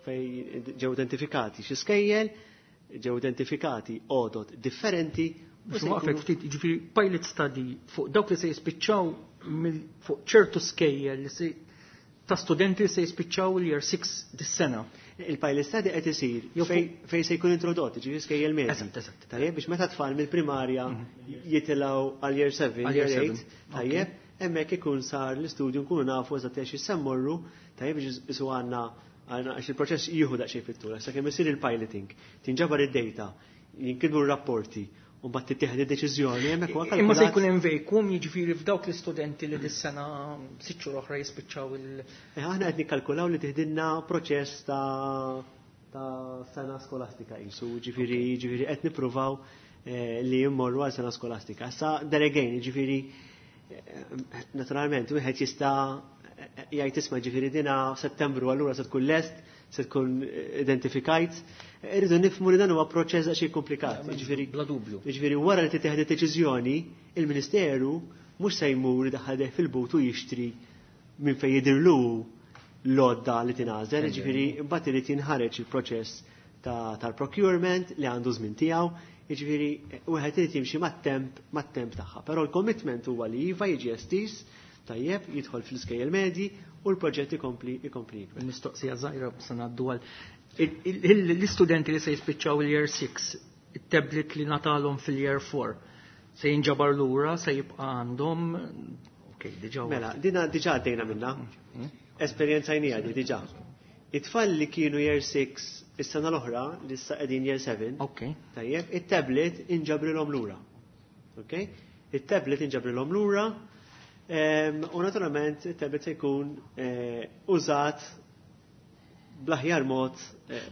fej ġew identifikati xi skejjel, ġew identifikati għodod differenti. Biex waqfek ftit, jiġifieri pilot study fuq dawk li se jispiċċaw fuq ċertu skejjel li se ta' studenti li se jispiċċaw il-year six dis-sena. Il-pilot study qed isir fejn se jkun introdott, ġifieri skejjel medji. Eżatt, eżatt. Tajjeb, biex meta tfal mill-primarja jitilgħu għal year seven, year eight, tajjeb, hemmhekk ikun sar l-istudju nkunu nafu eżatt għax issemmorru, tajjeb biex isu għandna għax il-proċess jieħu daqsxejn fit-tul, sakemm isir il-piloting, tinġabar id-data, jinkitbu r-rapporti, u mbagħad tittieħed id-deċiżjoni hemmhekk huwa Imma se jkun hemm vacuum, jiġifieri f'dawk l-istudenti li dis-sena sitt xhur oħra jispiċċaw il- Aħna qed nikkalkulaw li tiħdilna proċess ta' ta' sena skolastika qisu, ġifieri ġifieri qed nippruvaw li jimmorru għal sena skolastika. Issa there again, ġifieri naturalment wieħed jista' jgħid isma' ġifieri dina Settembru allura se tkun lest, se tkun identifikajt. Irridu nifhmu li dan huwa proċess daqsxejn komplikat. Ġifieri bla dubju. Ġifieri wara li titieħed id-deċiżjoni, il-Ministeru mhux se jmur idaħħal fil-but u jixtri minn fejn jidhirlu l-għodda li tingħażel, ġifieri mbagħad irid jinħareġ il-proċess tal-procurement li għandu żmien tiegħu, jiġifieri wieħed irid jimxi mat-temp mat-temp tagħha. Però l-commitment huwa li iva jiġi estiż, tajjeb, jidħol fl-iskejjel medji u l-proġett ikompli ikompli jikber. Mistoqsija żgħira se ngħaddu għal l-istudenti li se jispiċċaw il-year six, it-tablet li ngħatalhom fil-year four, se jinġabar lura, se jibqa' għandhom, ok, diġà. Mela, dina diġà għaddejna minna. Esperjenzajnija di diġà. It-tfal li kienu year six is-sena l-oħra, li issa qegħdin year seven, tajjeb, it-tablet inġabrilhom lura. Ok? It-tablet inġabrilhom lura, u naturalment it-tablet se jkun użat bl-aħjar mod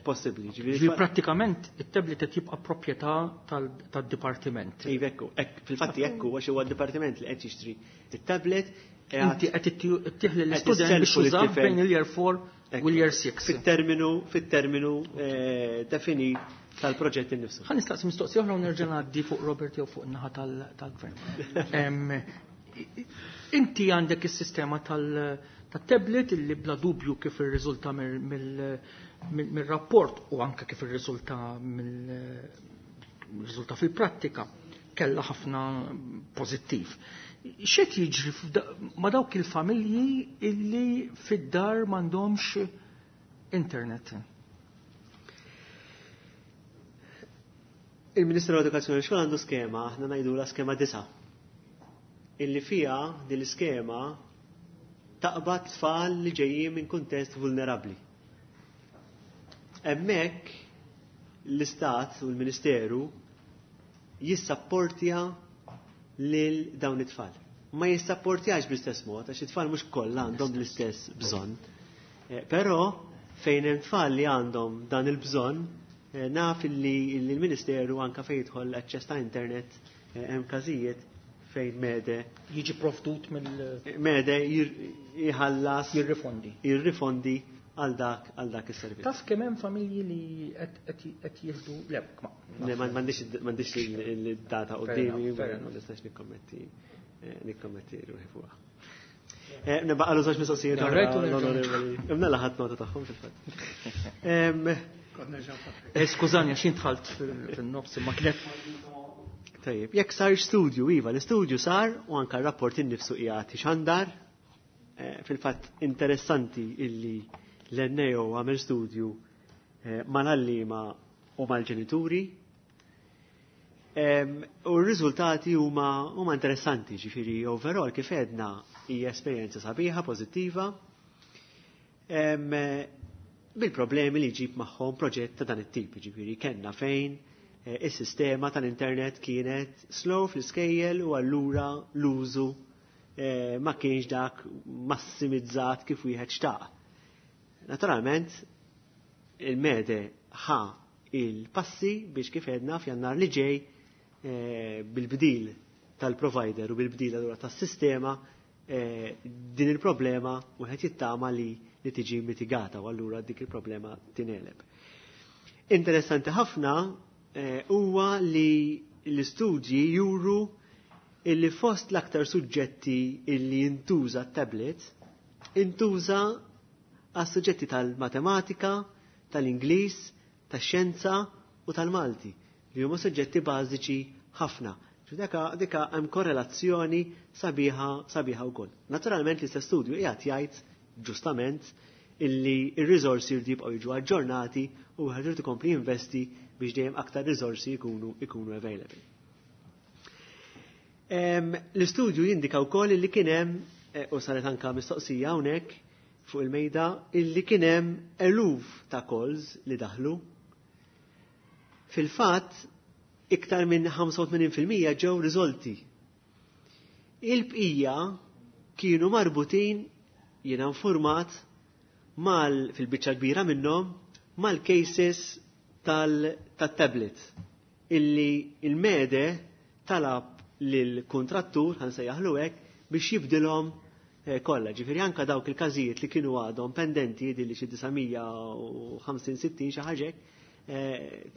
possibbli. Ġifieri prattikament it-tablet qed jibqa' proprjetà tad-dipartiment. Iva, ekku, fil-fatti ekku għax huwa d-dipartiment li qed jixtri it-tablet. Inti qed ittieħ lill-istudent biex jużah bejn il-year four u l-year six. Fit-terminu, fit-terminu definit tal-proġett innifsu. Ħa nistaqsi mistoqsija oħra u nerġa' ngħaddi fuq Robert jew fuq in-naħa tal-gvern. Inti għandek is-sistema tal-tablet illi bla dubju kif irriżulta mill-rapport u anke kif irriżulta mill-riżulta fil-prattika kellha ħafna pożittiv. X'qed jiġri ma' dawk il-familji illi fid-dar m'għandhomx internet? Il-Ministru tal-Edukazzjoni xogħol għandu skema, aħna ngħidulha skema disa'. Illi fija din l-iskema taqbad tfal li ġejjin minn kuntest vulnerabbli. Hemmhekk l-Istat u l-Ministeru jissapportja lil dawn it-tfal. Ma jissapportjax bl-istess mod, għax it-tfal mhux kollha għandhom l-istess bżonn. Però fejn hemm tfal li għandhom dan il-bżonn, naf li l-Ministeru anke fejn jidħol aċċess ta' internet hemm każijiet fejn Mede jiġi provdut mill Mede jħallas jirrifondi. Jirrifondi għal dak għal dak is-servizz. Taf kemm hemm familji li qed jieħdu le ma m'għandix il-data quddiemi, ma nistax nikkommetti nikkommetti ruħi fuqha. Nibaqgħu żewġ mistoqsijiet l-onorevoli. Imna laħat nota tagħhom fil-fatt. Skużani għax dħalt fin-nofs imma kienet. Tajjeb, jekk sar studju, iva, l-istudju sar u anka r-rapport innifsu qiegħed ixandar. Fil-fatt interessanti illi l-N A O għamel studju mal-għalliema u mal-ġenituri. U r-riżultati huma huma interessanti, ġifieri overall kif għedna hija esperjenza sabiħa, pożittiva. Bil-problemi li jġib magħhom proġett ta' dan it-tip, ġifieri kellna fejn is-sistema tal-internet kienet slow fl-iskejjel u allura l-użu ma kienx dak massimizzat kif wieħed xtaq. Naturalment, il-Mede ħa il-passi biex kif għedna f'Jannar li ġej bil-bdil tal-provider u bil-bdil allura tas-sistema din il-problema wieħed jittama li li tiġi mitigata u allura dik il-problema tingħeleb. Interessanti ħafna huwa li l-istudji juru illi fost l-aktar suġġetti illi jintuża tablet, intuża għas suġġetti tal-matematika, tal-Ingliż, tax-xjenza u tal-Malti, li huma suġġetti bażiċi ħafna. Dika dika hemm korrelazzjoni sabiħa sabiħa wkoll. Naturalment l-istess studju qiegħed jgħid ġustament illi ir-riżorsi jridu jibqgħu jiġu aġġornati u wieħed irid ikompli jinvesti biex dejjem aktar riżorsi jkunu ikunu available. L-istudju jindika wkoll illi kien hemm, u saret anka mistoqsija hawnhekk fuq il-mejda, illi kien hemm eluf ta' calls li daħlu. Fil-fatt, iktar minn ħamsa u tmenin fil-mija ġew riżolti. Il-bqija kienu marbutin, jiena informat, mal fil-biċċa kbira minnhom mal-cases tal-tablet illi il-Mede talab lill-kontrattur, ħa nsejjaħlu hekk, biex jibdilhom kollha. Ġifieri anka dawk il-każijiet li kienu għadhom pendenti li xi disa' mija u ħamsin sittin xi ħaġa,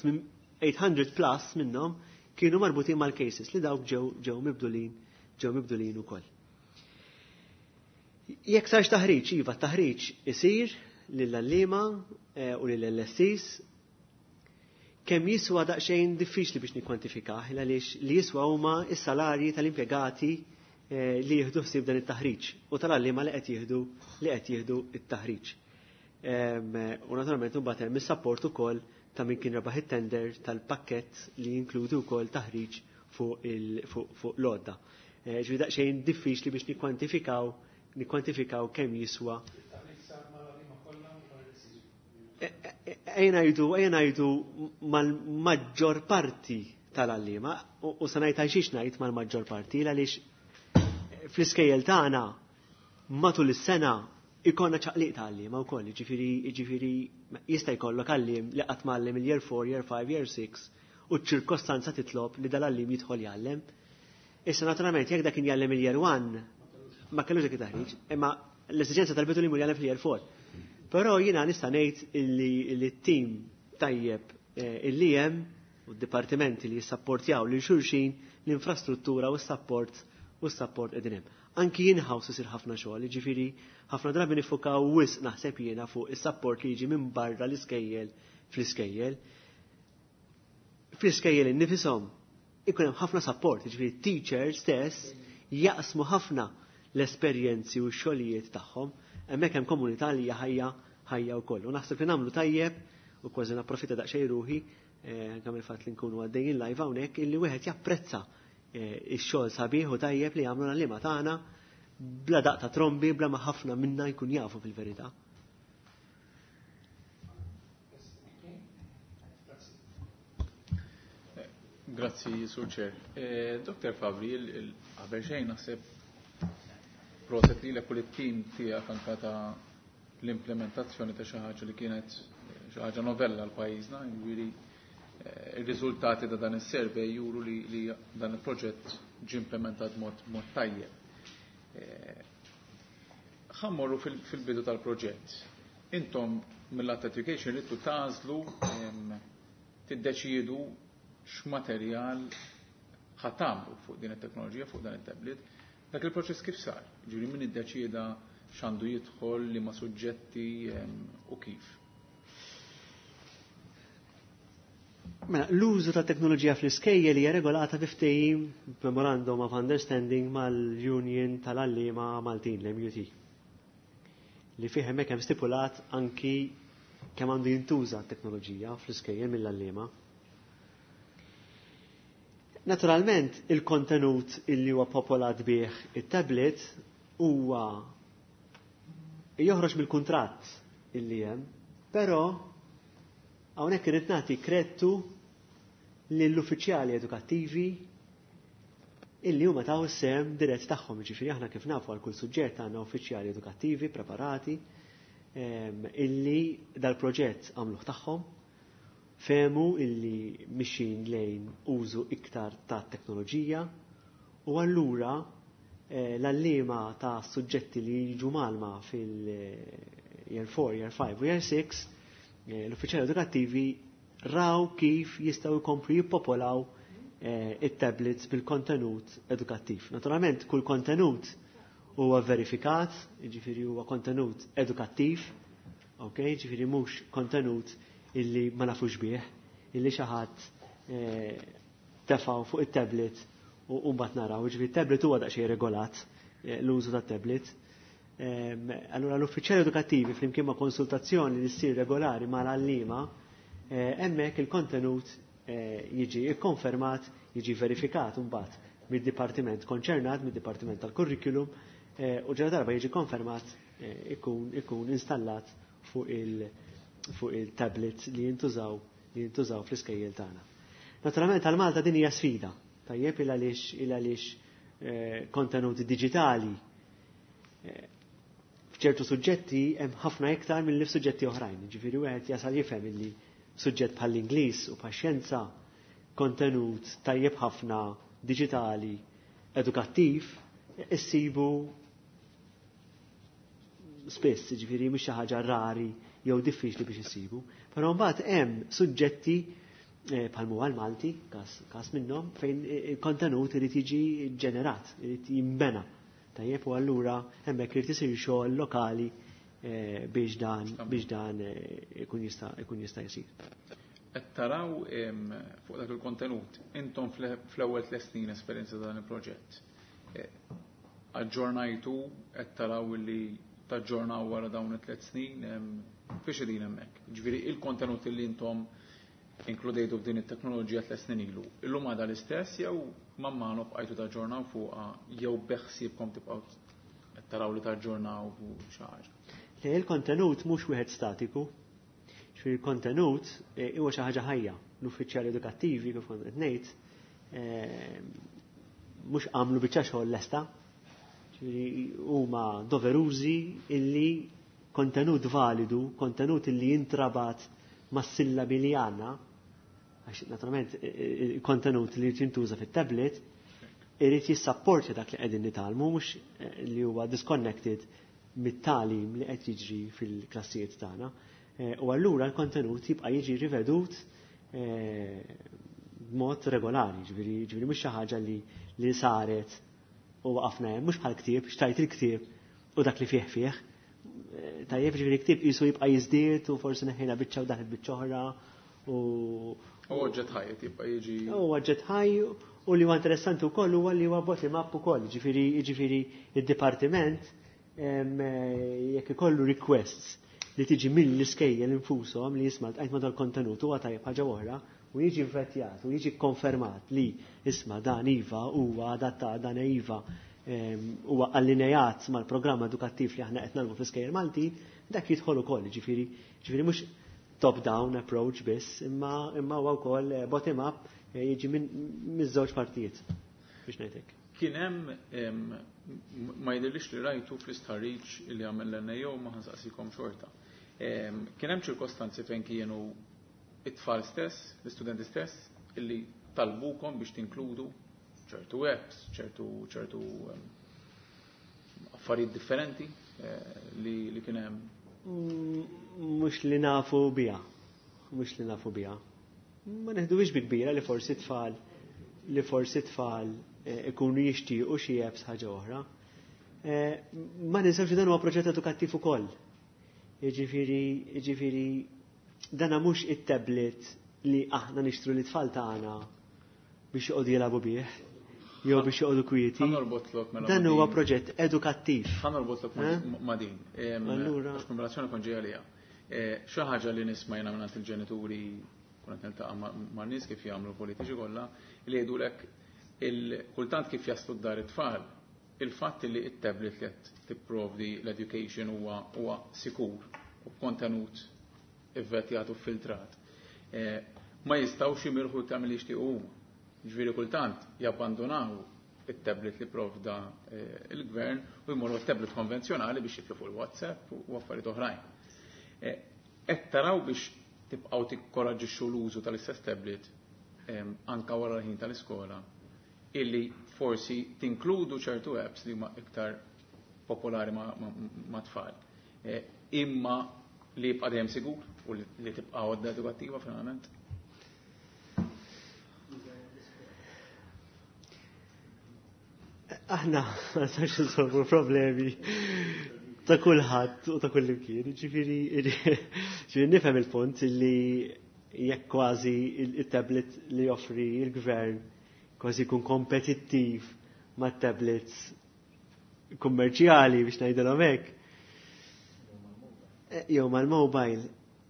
tmien mija plus minnhom kienu marbutin mal-cases li dawk ġew ġew mibdulin ġew mibdulin ukoll. Jekk sarx taħriġ, iva, taħriġ isir lill-għalliema u lill-L S Es. Kemm jiswa daqsxejn diffiċli biex nikkwantifikah, għaliex li jiswa huma s-salarji tal-impjegati li jieħdu ħsieb dan it-taħriġ u tal-għalliema li qed jieħdu li qed jieħdu it-taħriġ. U naturalment imbagħad hemm is-support ukoll ta' min kien rebaħ it-tender tal-pakkett li jinkludi wkoll taħriġ fuq l-għodda. Ġifieri daqsxejn diffiċli biex nikkwantifikaw nikkwantifikaw kemm jiswa. Ejja ngħidu, ejja ngħidu mal-maġġor parti tal-għalliema, u sa ngħid għalxiex ngħid mal-maġġor parti, għaliex fl-iskejjel tagħna matul is-sena ikollna ċaqliq ta' għalliema wkoll, ġifieri ġifieri jista' jkollok għalliem li qatt m'għallem il-year four, year five, year six, u ċ-ċirkostanza titlob li dal-għalliem jidħol jgħallem. Issa naturalment jekk dak kien jgħallem il-year one, ma kellux dak it-taħriġ, imma l-esiġenza tal-bitu li jmur jgħallem fil-year four. Però jiena nista' ngħid illi t-tim tajjeb illi hemm u d-dipartimenti li jissapportjaw lil xulxin, l-infrastruttura u s-support u s-support qegħdin hemm. Anki in-house isir ħafna xogħol, jiġifieri ħafna drabi nifukaw wisq naħseb jiena fuq is-support li jiġi minn barra l-iskejjel fl-iskejjel. Fl-iskejjel innifishom ikun hemm ħafna support, jiġifieri teachers stess jaqsmu ħafna l-esperjenzi u x-xogħlijiet tagħhom, hemmhekk hemm komunità li hija ħajja ħajja wkoll. U naħseb li nagħmlu tajjeb u kważi napprofitta daqsxejn ruħi anke mill-fatt li nkunu għaddejjin live hawnhekk illi wieħed japprezza ix-xogħol sabiħ u tajjeb li jagħmlu l-għalliema tagħna bla daqq ta' trombi, bla ma ħafna minna jkun jafu fil-verità. Grazzi, Sur Chair. Doktor Fabri, qabel xejn naħseb proset li l it-tim tiegħek anka ta' l-implementazzjoni ta' xi ħaġa li kienet xi ħaġa novella għal pajjiżna, jiġifieri Ir-riżultati ta' dan is-survey juru li, li dan il-proġett ġie implementat mod, mod tajjeb. Ħa mmorru fil-bidu tal-proġett. Intom mill-Lat Education ridtu tagħżlu, tiddeċiedu x'materjal ħa tagħmlu fuq din it-teknoloġija, fuq dan it-tablet. Dak il-proċess kif sar? Ġifieri min iddeċieda x'għandu jidħol, liema suġġetti u kif? Mela, l-użu ta' teknoloġija fl-iskejjel hija regolata bi ftehim, Memorandum of Understanding, mal-Union tal-Għalliema Maltin, l-M U T. Li fih hemmhekk hemm stipulat anki kemm għandu jintuża t-teknoloġija fl-iskejjel mill-għalliema. Naturalment, il-kontenut illi huwa popolat bih it-tablet huwa joħroġ mill-kuntratt illi hemm, però hawnhekk irid nagħti kredtu lill-uffiċjali edukattivi illi huma taw is-sehem dirett tagħhom. Ġifieri aħna kif nafu għal kull suġġett għandna uffiċjali edukattivi preparati illi dal-proġett għamluh tagħhom, fehmu illi mixin lejn użu iktar ta' teknoloġija u allura eh, l-għalliema ta' suġġetti li jiġu mgħallma fil-year four, year five u year six, eh, l-uffiċjali edukattivi raw kif jistgħu jkomplu jippopolaw eh, it-tablets bil-kontenut edukattiv. Naturalment, kull kontenut huwa verifikat, jiġifieri huwa kontenut edukattiv, ok, jiġifieri mhux kontenut illi ma nafux bih, illi xi ħadd eh, tefgħu fuq it-tablet u mbagħad naraw, jiġifieri it-tablet huwa daqsxejn regolat, eh, l-użu tat-tablet. Allura l-uffiċjali edukattivi flimkien ma' konsultazzjoni li ssir regolari mal-għalliema, hemmhekk il-kontenut jiġi ikkonfermat, jiġi verifikat mbagħad mid-dipartiment konċernat, mid-dipartiment tal-kurrikulum, u ġara darba jiġi konfermat ikun, ikun installat fuq il- fuq il-tablets li jintużaw li jintużaw fl-iskejjel tagħna. Naturalment għal Malta din hija sfida, tajjeb, il għaliex il għaliex kontenut diġitali f'ċertu suġġetti hemm ħafna iktar milli f'suġġetti oħrajn. Ġifieri wieħed jasal jifhem illi suġġett bħall-Ingliż u bħax-xjenza kontenut tajjeb ħafna diġitali edukattiv issibu spiss, ġifieri mhux xi ħaġa rari jew diffiċli biex issibu. Però mbagħad hemm suġġetti bħal huwa l-Malti, każ minnhom, fejn il-kontenut irid jiġi ġenerat, irid jinbena. Tajjeb, u allura hemmhekk irid isir xogħol lokali biex dan biex dan ikun jista' ikun jista' jsir. Qed taraw fuq dak il-kontenut, intom fl-ewwel tliet snin esperjenza dan il-proġett. Aġġornajtu, qed taraw li taġġornaw wara dawn it-tliet snin, fiex qegħdin hemmhekk? Ġifieri il-kontenut li intom inkludejtu f'din it-teknoloġija tliet snin ilu, illum għadha l-istess jew man mano bqajtu taġġornaw fuqha jew beħsiebkom tibqgħu qed taraw li taġġornaw fuq xi ħaġa? Le, il-kontenut mhux wieħed statiku. Ġifieri il-kontenut huwa xi ħaġa ħajja. L-uffiċjali edukattivi kif kont qed ngħid mhux għamlu biċċa xogħol lesta. Ġifieri huma doverużi illi kontenut validu, kontenut illi jintrabat mas-sillabi li għandna, għax naturalment il-kontenut li jintuża fit-tablet irid jissapporti dak li qegħdin nitgħallmu, mhux li huwa disconnected mit-tagħlim li qed jiġri fil-klassijiet tagħna. U allura l-kontenut jibqa' jiġi rivedut b'mod regolari, ġifieri ġifieri mhux xi ħaġa li li saret u waqafna hemm, mhux bħal ktieb, xtajt il-ktieb u dak li fih fih. Tajjeb, ġifieri ktieb qisu jibqa' jiżdied u forsi neħħejna biċċa u daħlet biċċa oħra u U oġġett ħaj jibqa' jiġi. U oġġett ħaj, u li huwa interessanti wkoll huwa li huwa bottom up ukoll, ġifieri ġifieri id-dipartiment jekk ikollu requests li tiġi mill-iskejjel infushom li jisma' ltqajt ma' dal-kontenut huwa tajjeb ħaġa oħra u jiġi vetjat u jiġi konfermat li isma' dan iva huwa adattat, dan iva huwa allinejat mal-programm edukattiv li aħna qed nagħmlu fl-iskejjel Malti, dak jidħol ukoll, ġifieri ġifieri mhux top-down approach biss, imma imma huwa wkoll bottom up, jiġi minn miż-żewġ partijiet biex ngħidlek. Kien hemm, ma jidhirlix li rajtu fl-istħarriġ li għamel l-N A O, ma ħa nsaqsikom xorta. Kien hemm ċirkostanzi fejn kienu it-tfal stess, l-istudenti stess, illi talbukom biex tinkludu ċertu apps, ċertu ċertu affarijiet differenti li, li kien hemm? Mhux li nafu biha. Mhux li nafu biha. Ma neħduhiex bi kbira li forsi tfal li forsi tfal ikunu jixtiequ xi apps ħaġa oħra. Ma ninsewx li dan huwa proġett edukattiv ukoll. Jiġifieri, jiġifieri dana mhux it-tablet li aħna nixtru li tfal tagħna biex joqogħdu jilagħbu bih jew biex joqogħdu kwieti. Mela Dan huwa proġett edukattiv. Ħa norbotlok ma' din. Allura għax kombinazzjoni kont ġej għaliha. Xi ħaġa li nisma' jiena mingħand il-ġenituri kun qed niltaqa' ma' nies kif jagħmlu politiċi kollha li jgħidulek il-kultant kif jaslu d-dar it-tfal, il-fatt li it-tablet li qed tipprovdi l-education huwa huwa sikur u b'kontenut ivvetjat u filtrat. Ma jistgħux jimirħu tagħmel li jixtiequ huma. Ġifieri kultant jabbandonaw it-tablet li provda il-gvern u jmorru tablet konvenzjonali biex jitlu fuq il-WhatsApp u affarijiet oħrajn. Qed taraw biex tibqgħu tikkoraġġixxu l-użu tal-istess tablet anka wara l-ħin tal-iskola illi forsi tinkludu ċertu apps li huma iktar popolari ma' tfal. Imma li jibqa' dejjem sigur u li tibqa' għodda edukattiva finalment. Aħna ma nistax insolvu problemi ta' kulħadd u ta' kull imkien. Ġifieri ġifieri nifhem il-punt li jekk kważi il-tablet li joffri il-gvern kważi jkun kompetittiv ma' tablets kummerċjali biex ngħidilhom hekk. Jew mal-mobile.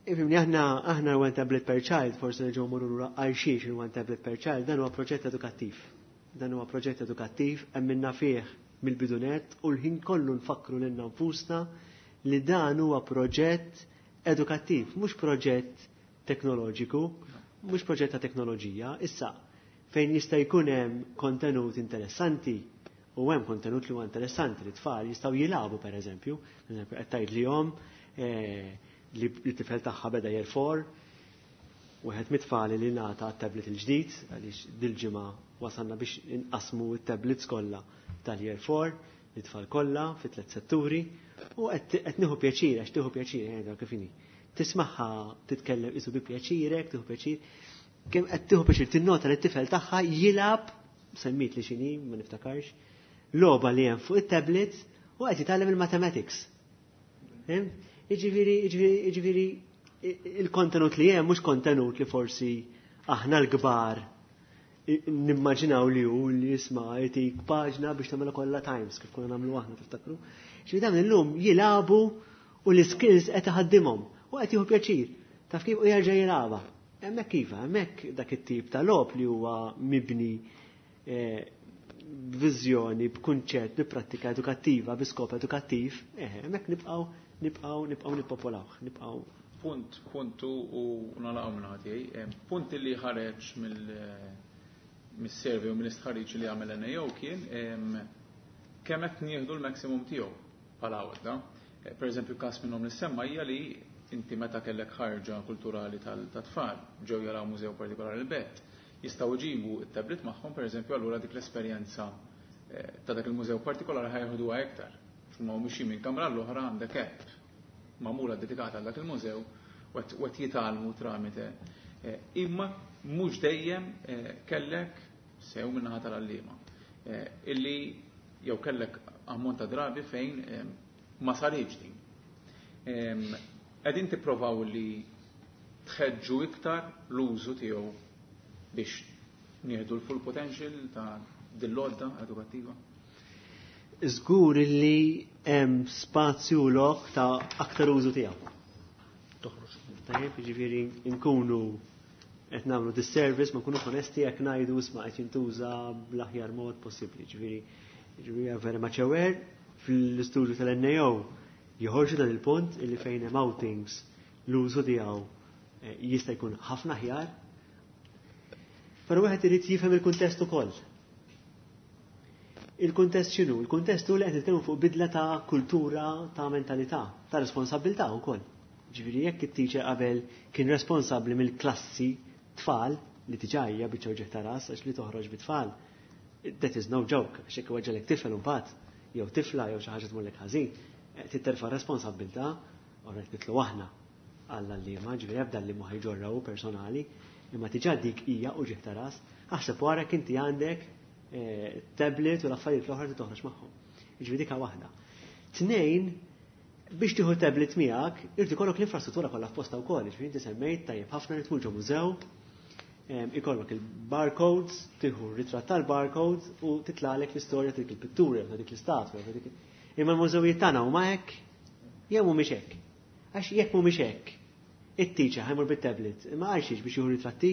Ifhimni aħna aħna one tablet per child, forsi nerġgħu mmorru lura għal xiex il-one tablet per child, dan huwa proġett edukattiv. Dan huwa proġett edukattiv hemm minna fih mill-bidunet u l-ħin kollu nfakru lilna nfusna li dan huwa proġett edukattiv, mhux proġett teknoloġiku, mhux proġett ta' teknoloġija. Issa fejn jista' jkun hemm kontenut interessanti u hemm kontenut li huwa interessanti li tfal jistgħu jilagħbu pereżempju, pereżempju qed tgħid lihom li t-tifel tagħha beda year four, wieħed mit-tfal li ngħata t-tablet il-ġdid għaliex dil-ġimgħa wasalna biex inqasmu t-tablets kollha tal-year four, l-tfal kollha fi tliet setturi, u qed nieħu pjaċir, għax tieħu pjaċir, eh, kif inhi. Tismagħha titkellem isu bi pjaċirek, tieħu pjaċir. Kemm qed tieħu pjaċir tinnota li t-tifel tagħha jilgħab, semmit li x'inhi, ma niftakarx, logħba li hemm fuq it-tablets u qed jitgħallem il-mathematics. Jiġifieri, jiġifieri il-kontenut li hemm mhux kontenut li forsi aħna l-kbar nimmaġinaw li hu li jisma' jtik paġna biex tagħmilha kollha times kif konna nagħmlu aħna tiftakru. Ġifieri dawn illum jilagħbu u l-iskills qed iħaddimhom u qed jieħu pjaċir. Taf kif u jerġa' jilagħbha. Hemmhekk iva, hemmhekk dak it-tip ta' logħob li huwa mibni b'viżjoni, b'kunċett, bi prattika edukattiva, bi skop edukattiv, eh hemmhekk nibqgħu nibqgħu nibqgħu nippopolawh, nibqgħu. Punt, puntu u nalaqgħu minn ħadd. Punt li ħareġ mill mis-survey u mill-istħarriġ li għamel N A O kien kemm qed nieħdu l-maximum tiegħu bħala għodda. Per eżempju, każ minnhom li semma hija li inti meta kellek ħarġa kulturali tat-tfal ġew jaraw mużew partikolari l-belt, jistgħu jġibu t-tablet magħhom, per eżempju, allura dik l-esperjenza ta' dak il-mużew partikolari ħajħduha iktar. Huma mhux minn kamra l-oħra għandek app magħmula dedikata għal dak il-mużew u qed jitgħallmu tramite. Imma mhux dejjem kellek sew min-naħa tal-għalliema illi jew kellek ammont ta' drabi fejn ma saritx din. Qegħdin tipprovaw li tħeġġu iktar l-użu tiegħu biex nieħdu l-full potential ta' din l-għodda edukattiva? Żgur li hemm spazju lok ta' aktar użu tiegħu. Toħroġ. Tajjeb, jiġifieri nkunu qed nagħmlu disservice, ma nkunux onesti jekk ngħidu isma' qed jintuża bl-aħjar mod possibbli. Ġifieri, ġifieri very much aware fl-istudju tal-N A O joħorġu dan il-punt illi fejn hemm outings l-użu tiegħu jista' jkun ħafna aħjar. Però wieħed irid jifhem il-kuntest ukoll. Il-kuntest x'inhu? Il-kuntest hu li qed nitkellmu fuq bidla ta' kultura, ta' mentalità, ta' responsabilità wkoll. Ġifieri jekk it-teacher qabel kien responsabbli mill-klassi tfal li diġà hija biċċa uġigħ ta' ras għax li toħroġ bit-tfal. That is no joke, għax jekk iweġġgħalek tifel imbagħad jew tifla jew xi ħaġa tmurlek ħażin, trid terfa' responsabbiltà, u rrid nitlu aħna għall-għalliema, ġifieri ebda li ma ħajġorraw personali, imma diġà dik hija uġigħ ta' ras, aħseb wara inti għandek eh, tablet u l-affarijiet l-oħra li toħroġ magħhom. Ġifieri dik waħda. Tnejn, biex tieħu tablet miegħek, irid ikollok l-infrastruttura kollha f'posta wkoll, ġifieri inti semmejt tajjeb ħafna li tmur ġo mużew, ikollok il-barcodes, tieħu ritratt tal-barcodes u titlalek l-istorja ta' dik il-pittura, ta' dik l-istatwa, ta' dik. Imma l-mużewijiet tagħna huma hekk, jew mhumiex hekk. Għax jekk mhumiex hekk, it-teacher ħa jmur bit-tablet, imma għalxiex biex jieħu ritratti,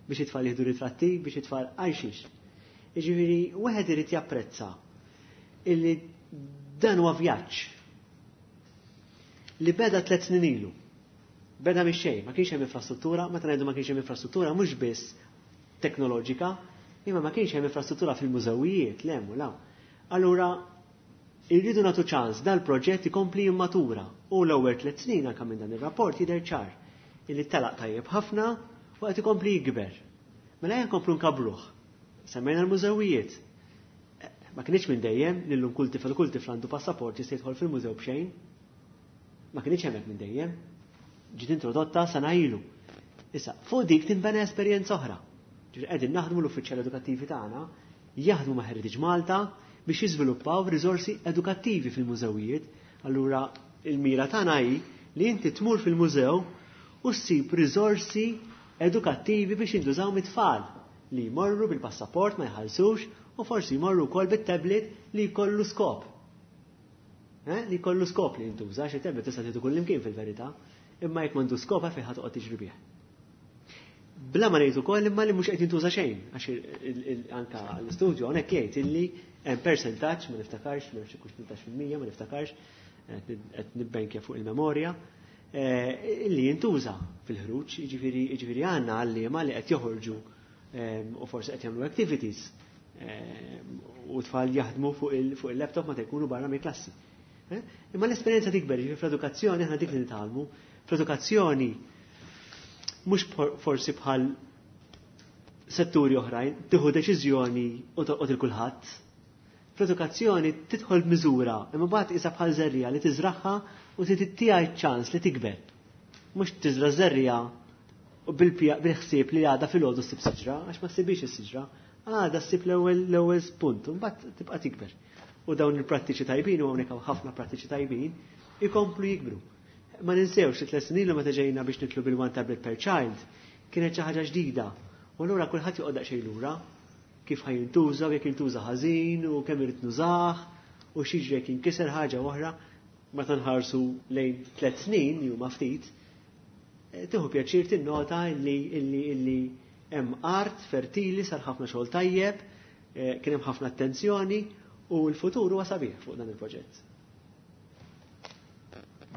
biex it-tfal jieħdu ritratti, biex it-tfal għalxiex. Jiġifieri wieħed irid japprezza illi dan huwa vjaġġ li beda tliet snin ilu. Beda mix xejn, ma kienx hemm infrastruttura, meta ngħidu ma kienx hemm infrastruttura mhux biss teknoloġika, imma ma kienx hemm infrastruttura fil-mużewijiet, le u la. Allura irridu nagħtu ċans dal-proġett ikompli jimmatura u l-ewwel tliet snin anke minn dan ir-rapport jidher ċar illi telaq tajjeb ħafna u qed ikompli jikber. Mela ejja nkomplu nkabbruh. Semmejna l-mużewijiet. Ma kienx minn dejjem li llum kull tifel kull tifel għandu passaport jista' jidħol fil-mużew b'xejn. Ma kienx hemmhekk minn dejjem. Ġiet introdotta sena ilu. Issa, fuq dik tinbena esperjenza oħra. Ġifieri qegħdin naħdmu l-uffiċjali edukattivi tagħna jaħdmu ma' Heritage Malta biex jiżviluppaw riżorsi edukattivi fil-mużewijiet. Allura il-mira tagħna hi li inti tmur fil-mużew u ssib riżorsi edukattivi biex jintużaw mit-tfal li jmorru bil-passaport ma jħallsux u forsi jmorru wkoll bit-tablet li jkollu skop. Eh? Li jkollu skop li jintuża, xi tablet tista' tieħdu kull imkien fil-verità, imma jekk m'għandu skop fejn ħa toqgħod tiġri bih. Bla ma ngħid ukoll imma li mhux qed jintuża xejn, għax anka l-istudju hawnhekk jgħid illi hemm persentaġġ, ma niftakarx, ma nafx kux tmintax fil-mija, ma niftakarx, qed nibbenkja fuq il-memorja, eh, illi jintuża fil-ħruġ, jiġifieri jiġifieri għandna għalliema li qed joħorġu u forsi qed jagħmlu activities u tfal jaħdmu fuq il-laptop ma jkunu barra mill-klassi. Eh? Imma l-esperjenza tikber, jiġifieri fl-edukazzjoni aħna dik li nitgħallmu, fl-edukazzjoni mhux forsi bħal setturi oħrajn, tieħu deċiżjoni u toqgħod il kulħadd. Fl-edukazzjoni tidħol b'miżura, imma mbagħad isa bħal żerriegħa li tiżraħħa u tittiha ċans li tikber. Mhux tiżra żerriegħa u bil-ħsieb li għada filgħodu ssib siġra, għax ma ssibix is-siġra, għada ssib l-ewwel l-ewwel punt, u mbagħad tibqa' tikber. U dawn il-prattiċi tajbin, u hawnhekk hawn ħafna prattiċi tajbin, ikomplu jikbru. Ma ninsewx li tliet snin ilu meta ġejna biex nitlu bil-one tablet per child, kienet xi ħaġa ġdida. U allura kulħadd joqgħod daqsxejn lura kif ħa jintuża u jekk jintuża ħażin u kemm irid nużah u x'jiġri jekk jinkiser ħaġa oħra. Meta nħarsu lejn tliet snin li huma ftit, eh, tieħu pjaċir tinnota illi illi illi hemm art fertili sar ħafna xogħol tajjeb, eh, kien hemm ħafna attenzjoni u l-futur huwa sabiħ fuq dan il-proġett.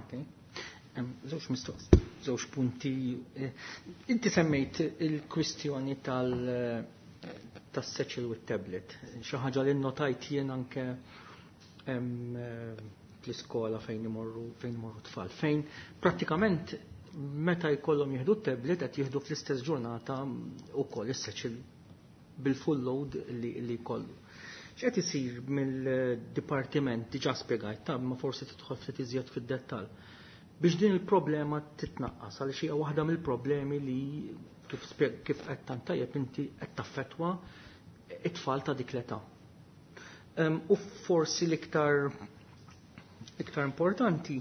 Okay. Żewġ mistoqs, żewġ punti. Eh, inti semmejt il-kwistjoni tal tas-satchel with tablet. Xi ħaġa li notajt jien anke fl-iskola fejn imorru fejn imorru tfal. Fejn prattikament meta jkollhom jieħdu tablet qed jieħdu fl-istess ġurnata wkoll is-satchel bil-full load li, li jkollu. X'qed isir mill-dipartiment diġà spjegajt, ta' ma forsi tidħol ftit iżjed fid-dettall biex din il-problema titnaqqas għaliex hija waħda mill-problemi li kif kif qed tant tajjeb inti qed taffettwa it-tfal ta' dik l-età. U forsi l-iktar iktar importanti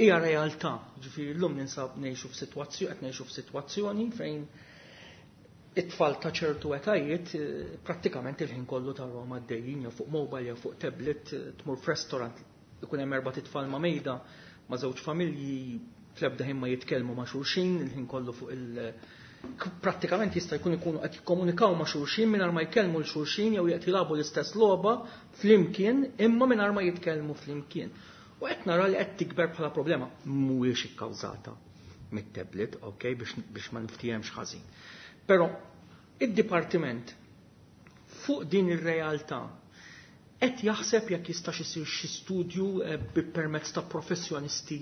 hija realtà, ġifieri llum ninsab ngħixu f'sitwazzjoni qed ngħixu f'sitwazzjoni fejn it-tfal ta' ċertu etajiet eh, prattikament il-ħin kollu tarahom għaddejjin jew fuq mobile jew fuq tablet, eh, tmur f'restaurant ikun hemm erba' titfal ma' mejda ma' żewġ familji fl-ebda ħin ma jitkellmu ma' xulxin, il-ħin kollu fuq il- prattikament jista' jkun ikunu qed jikkomunikaw ma' xulxin mingħajr ma jkellmu l xulxin jew qed jilagħbu l-istess logħba flimkien imma mingħajr ma jitkellmu flimkien. U qed nara li qed tikber bħala problema mhuwiex ikkawżata mit-tablet, ok, biex, biex ma niftihemx ħażin. Però id-dipartiment fuq din ir-realtà Qed jaħseb jekk jistax isir xi studju eh, bi permezz ta' professjonisti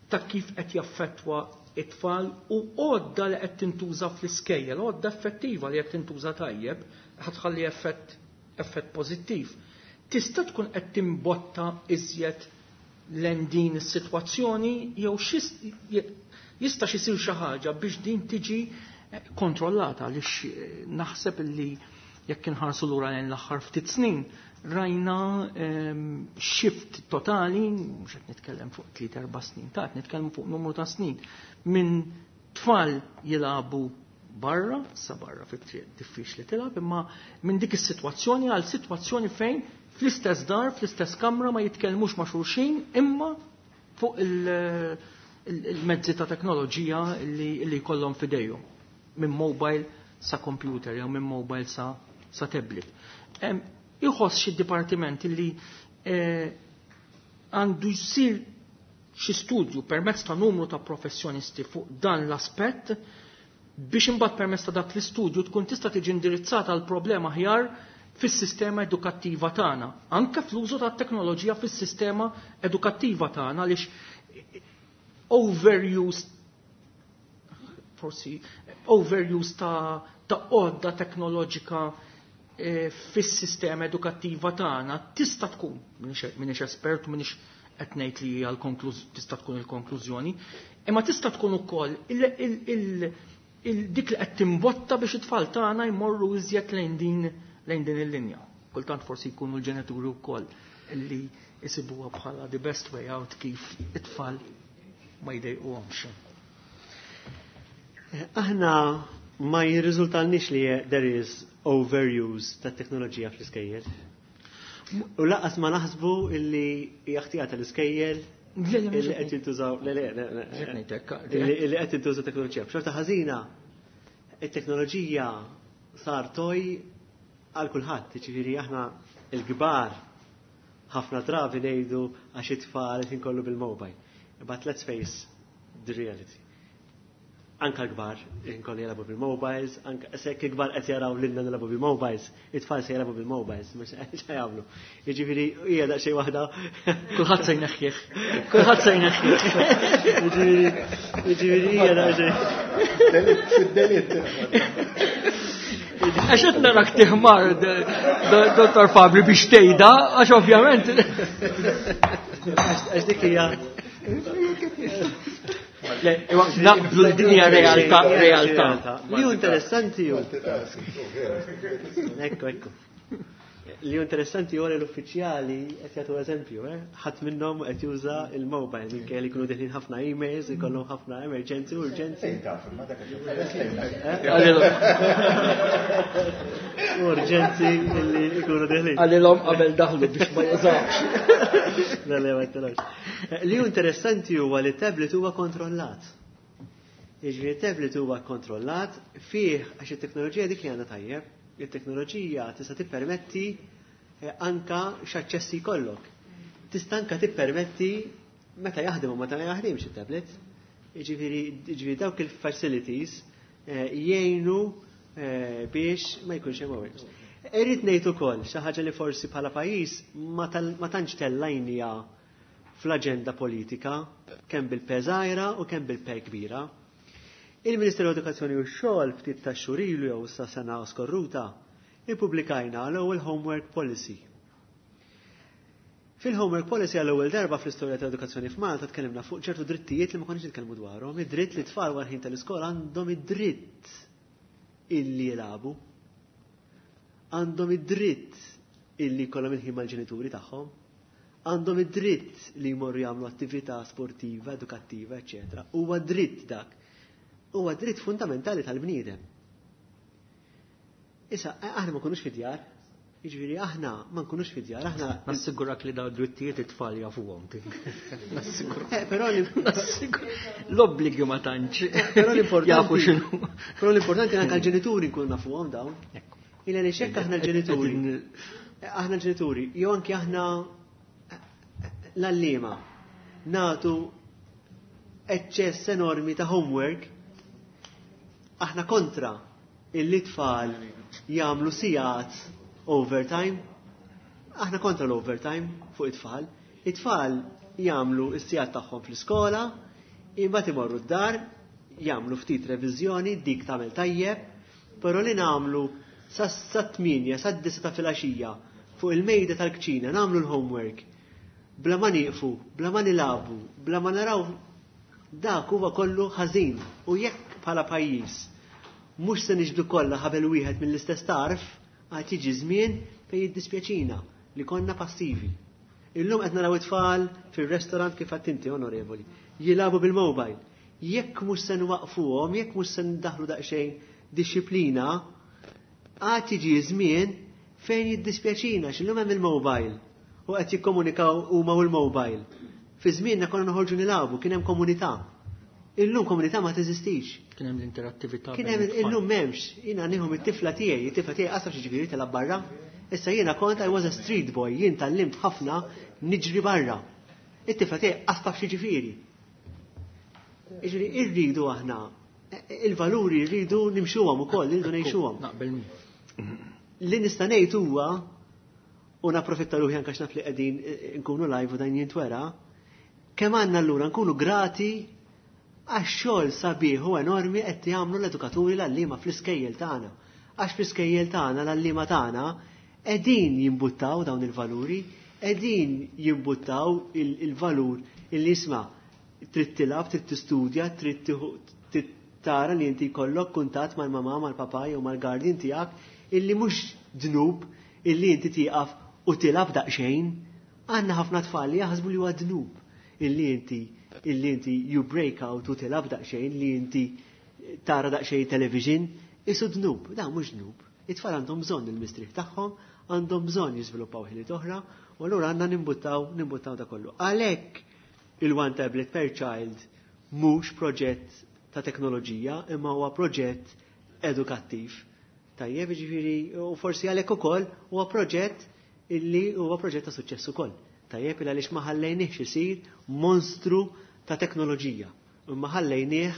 ta' kif qed jaffettwa it-tfal u għodda li qed tintuża fl-iskejjel, għodda effettiva li qed tintuża tajjeb, ħa tħalli effett effett pożittiv. Tista' tkun qed timbotta iżjed lejn din is-sitwazzjoni jew jista' isir xi ħaġa biex din tiġi eh, kontrollata, għaliex eh, naħseb illi jekk inħarsu lura lejn l-aħħar ftit snin rajna ehm, shift totali, mhux qed nitkellem fuq tliet erba' snin, ta' qed nitkellem fuq numru ta' snin, minn tfal jilagħbu barra, sa barra fit-triq diffiċli tilgħab, imma minn dik is-sitwazzjoni għal sitwazzjoni fejn fl-istess dar, fl-istess kamra ma jitkellmux ma' xulxin, imma fuq il-mezzi ta' teknoloġija li, li jkollhom f'idejhom, minn mobile sa computer jew minn mobile sa, sa tablet. Iħoss xi dipartiment li eh, għandu jsir xi studju permezz ta' numru ta' professjonisti fuq dan l-aspett biex imbagħad permezz ta' dak l-istudju tkun tista' tiġi indirizzata l problema aħjar fis-sistema edukattiva tagħna, anke fl-użu tat-teknoloġija fis-sistema edukattiva tagħna, għaliex overuse, forsi overuse ta' ta' għodda teknoloġika e, fis-sistema edukattiva tagħna tista' tkun, m'iniex espert, m'iniex qed ngħid li hija tista' tkun il-konklużjoni, imma tista' tkun ukoll dik li qed timbotta biex it-tfal tagħna jmorru iżjed lejn din lejn din il-linja. Kultant forsi jkunu l-ġenituri wkoll li jisibuha bħala the best way out kif it-tfal ma jdejquhomx. Aħna ma jirriżultalniex li there is overuse ta' teknoloġija fl-iskejjel. U lanqas ma naħsbu illi hija ħtija tal-iskejjel illi qed jintużaw, le le le illi qed jintużaw teknoloġija. B'xorta ħażina, it-teknoloġija sar toy għal kulħadd, jiġifieri aħna il-kbar ħafna drabi ngħidu għax it-tfal qed inkollu bil-mobile. But let's face the reality. Anka l-kbar inkollu jilagħbu bil-mobiles, anka sekk il-kbar qed jaraw lilna nilagħbu bil-mobiles, it-tfal se jilagħbu bil-mobiles, mhux se jagħmlu. Jiġifieri hija daqsxejn waħda. Kulħadd se jneħħih. Kulħadd se jneħħih. Jiġifieri hija daqsxejn. Fid-delitt. Għax qed narak tiħmar, Dottor Fabri, biex tgħidha, għax ovvjament. Għax dik hija Naqblu l-dinja realtà, realtà. Li hu interessanti hu. Ekku, ekku. Li hu interessanti hu li l-uffiċjali qed jagħtu eżempju, eh? Ħadd minnhom qed juża il-mobile minkejja li jkunu deħlin ħafna emails, ikollhom ħafna emerġenzi, urġenzi. Urġenzi li jkunu deħlin. Għalilhom qabel daħlu biex ma jużawx. Le, le, ma jtelawx. Li hu interessanti huwa li tablet huwa kontrollat. Jiġifieri tablet huwa kontrollat fih għax it-teknoloġija dik li għandha tajjeb. Il-teknoloġija tista' tippermetti eh, anka x'aċċessi jkollok. Tista' anka tippermetti meta jaħdem u meta ma jaħdimx it-tablet. Jiġifieri jiġifieri dawk il-facilities eh, jgħinu eh, biex ma jkunx hemm overuse. Irrid ngħid ukoll xi ħaġa li forsi bħala pajjiż ma tantx tellajnija fl-aġenda politika, kemm bil-P żgħira u kemm bil-P kbira. Il-Ministeru Edukazzjoni u x-Xogħol ftit ta' xhur ilu jew sa sena skorruta ippubblikajna l-ewwel homework policy. Fil-homework policy għall-ewwel darba fl-istorja tal-edukazzjoni f'Malta tkellimna fuq ċertu drittijiet li ma konniex nitkellmu dwarhom, id-dritt li tfal wara ħin tal-iskola għandhom id-dritt illi jilagħbu. Għandhom id-dritt illi jkollhom il-ħin mal-ġenituri tagħhom. Għandhom id-dritt li jmorru jagħmlu attività sportiva, edukattiva, eċċetera. Huwa dritt dak. Huwa dritt fundamentali tal-bniedem. Issa, aħna ma nkunux fid-djar, jiġifieri aħna ma nkunux fid-djar, aħna. Nassigurak li daw drittijiet it-tfal jafuhom. Nassigurak. Eh, però L-obbligi ma tantx. Però l-importanti. Jafu x'inhu. Però l-importanti anke l-ġenituri nkunu nafuhom dawn. Illa li xekk aħna l-ġenituri. Aħna l-ġenituri, jew anke aħna l-għalliema nagħtu eċċess enormi ta' homework, aħna kontra illi tfal jagħmlu sigħat overtime. Aħna kontra l-overtime fuq it-tfal. It-tfal jagħmlu s-sigħat tagħhom fl-iskola, imbagħad imorru d-dar, jagħmlu ftit reviżjoni, dik tagħmel tajjeb, però li nagħmlu sa tmienja, sa disgħa ta' filgħaxija fuq il-mejda tal-kċina nagħmlu l-homework. Bla ma nieqfu, bla ma nilagħbu, bla ma naraw, dak huwa kollu ħażin. U jekk bħala pajjiż mhux se niġbdu kollha ħabel wieħed mill-istess tarf, għad jiġi żmien fejn jiddispjaċina li konna passivi. Illum qed naraw it-tfal fir-restaurant, kif għedt inti, onorevoli, jilagħbu bil-mobile. Jekk mhux se nwaqfuhom, jekk mhux se ndaħlu daqsxejn disċiplina, għad jiġi żmien fejn jiddispjaċina x'illum hemm il-mobile u qed jikkomunikaw huma u l-mobile. Fi żmienna konna noħorġu nilagħbu, kien hemm komunità. Illum komunità ma teżistix. Kien hemm l-interattività. Kien hemm, illum m'hemmx. Jiena nieħu mit-tifla tiegħi, it-tifla tiegħi qasaf xi ġifieri tilgħab barra. Issa jiena kont, I was a street boy, jien tgħallimt ħafna niġri barra. It-tifla tiegħi qasaf xi ġifieri. Jiġifieri irridu aħna il-valuri rridu nimxuhom ukoll, irridu ngħixuhom. Naqbel. Li nista' ngħid huwa, u napprofitta ruħi anke naf li qegħdin nkunu live u dan jintwera, kemm għandna allura nkunu grati għax-xogħol sabiħ u enormi qed jagħmlu l-edukaturi, l-għalliema fl-iskejjel tagħna. Għax fl-iskejjel tagħna l-għalliema tagħna qegħdin jimbuttaw dawn il-valuri, qegħdin jimbuttaw il-valur illi jisma' trid tilgħab, trid tistudja, trid tara li inti jkollok kuntatt mal-mamà, mal-papà jew mal-guardian tiegħek, illi mhux dnub illi inti tieqaf u tilgħab daqsxejn. Għandna ħafna tfal li jaħsbu li huwa dnub illi inti illi inti you break out u tilgħab daqsxejn, li inti tara daqsxejn television, isu dnub. Da mhux dnub. It-tfal għandhom bżonn il-mistrieħ tagħhom, għandhom bżonn jiżviluppaw ħiliet oħra, u allura għandna nimbuttaw nimbuttaw da kollu. Għalhekk il-one tablet per child mhux proġett ta' teknoloġija, imma huwa proġett edukattiv. Tajjeb, ġifieri, u forsi għalhekk ukoll huwa proġett illi huwa proġett ta' suċċess ukoll. Tajjeb, il għaliex ma ħallejniex isir monstru ta' teknoloġija. Imma ħallejnieh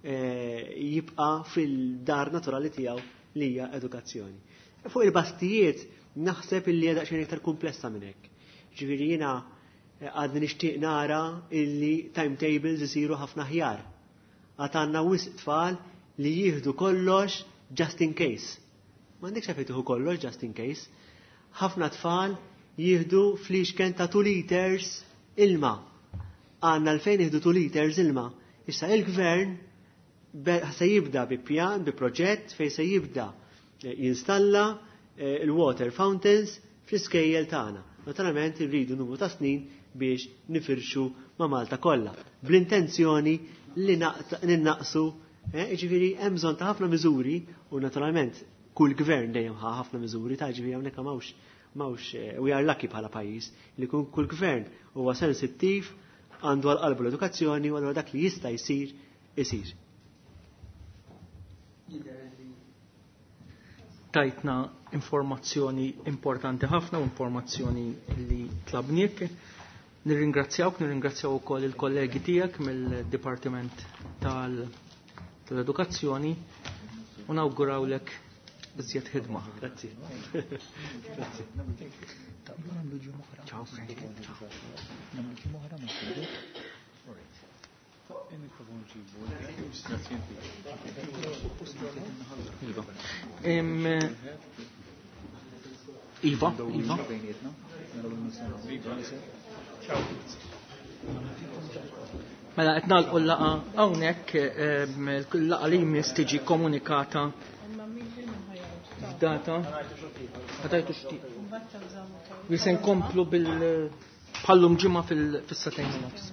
eh, jibqa' fil-dar naturali tiegħu li hija edukazzjoni. Fuq il-basktijiet naħseb illi hija daqsxejn iktar komplessa minn hekk. Ġifieri jiena eh, għadni nixtieq nara illi timetables isiru ħafna ħjar. Għad għandna wisq tfal li jieħdu kollox just in case. M'għandekx għalfejn tieħu kollox just in case. Ħafna tfal jieħdu fliexken ta' two liters ilma. Għandna għalfejn jieħdu two liters ilma. Issa il-gvern se jibda bi pjan, bi proġett fej se jibda eh, jinstalla eh, il-water fountains fl-iskejjel tagħna. Naturalment irridu numru ta' snin biex nifirxu ma' Malta kollha. Bl-intenzjoni li ninnaqsu, eh, ġifieri hemm bżonn ta' ħafna miżuri u naturalment kull gvern dejjem ħa ħafna miżuri ta' ġifieri hawnhekk m'hawnx m'hawnx we are lucky bħala pajjiż li kun kull gvern huwa sensittiv, għandu għal qalbu l-edukazzjoni u allura dak li jista' jsir isir. Tajtna informazzjoni importanti ħafna u informazzjoni li tlabniek. Nirringrazzjawk, nirringrazzjaw ukoll il-kollegi tiegħek mill-Dipartiment tal-Edukazzjoni u nawgurawlek iżjed ħidma. Grazzi. Grazzi. Ciao. Ciao. Iva. Em, Iva, Iva. Mela qed nagħlqu l-laqgħa hawnhekk, em, il-laqgħa li jmiss tiġi komunikata f'data. Ħatajtu xtieq. Li se nkomplu bil bħallum ġimgħa fil-sagħtejn u nofs.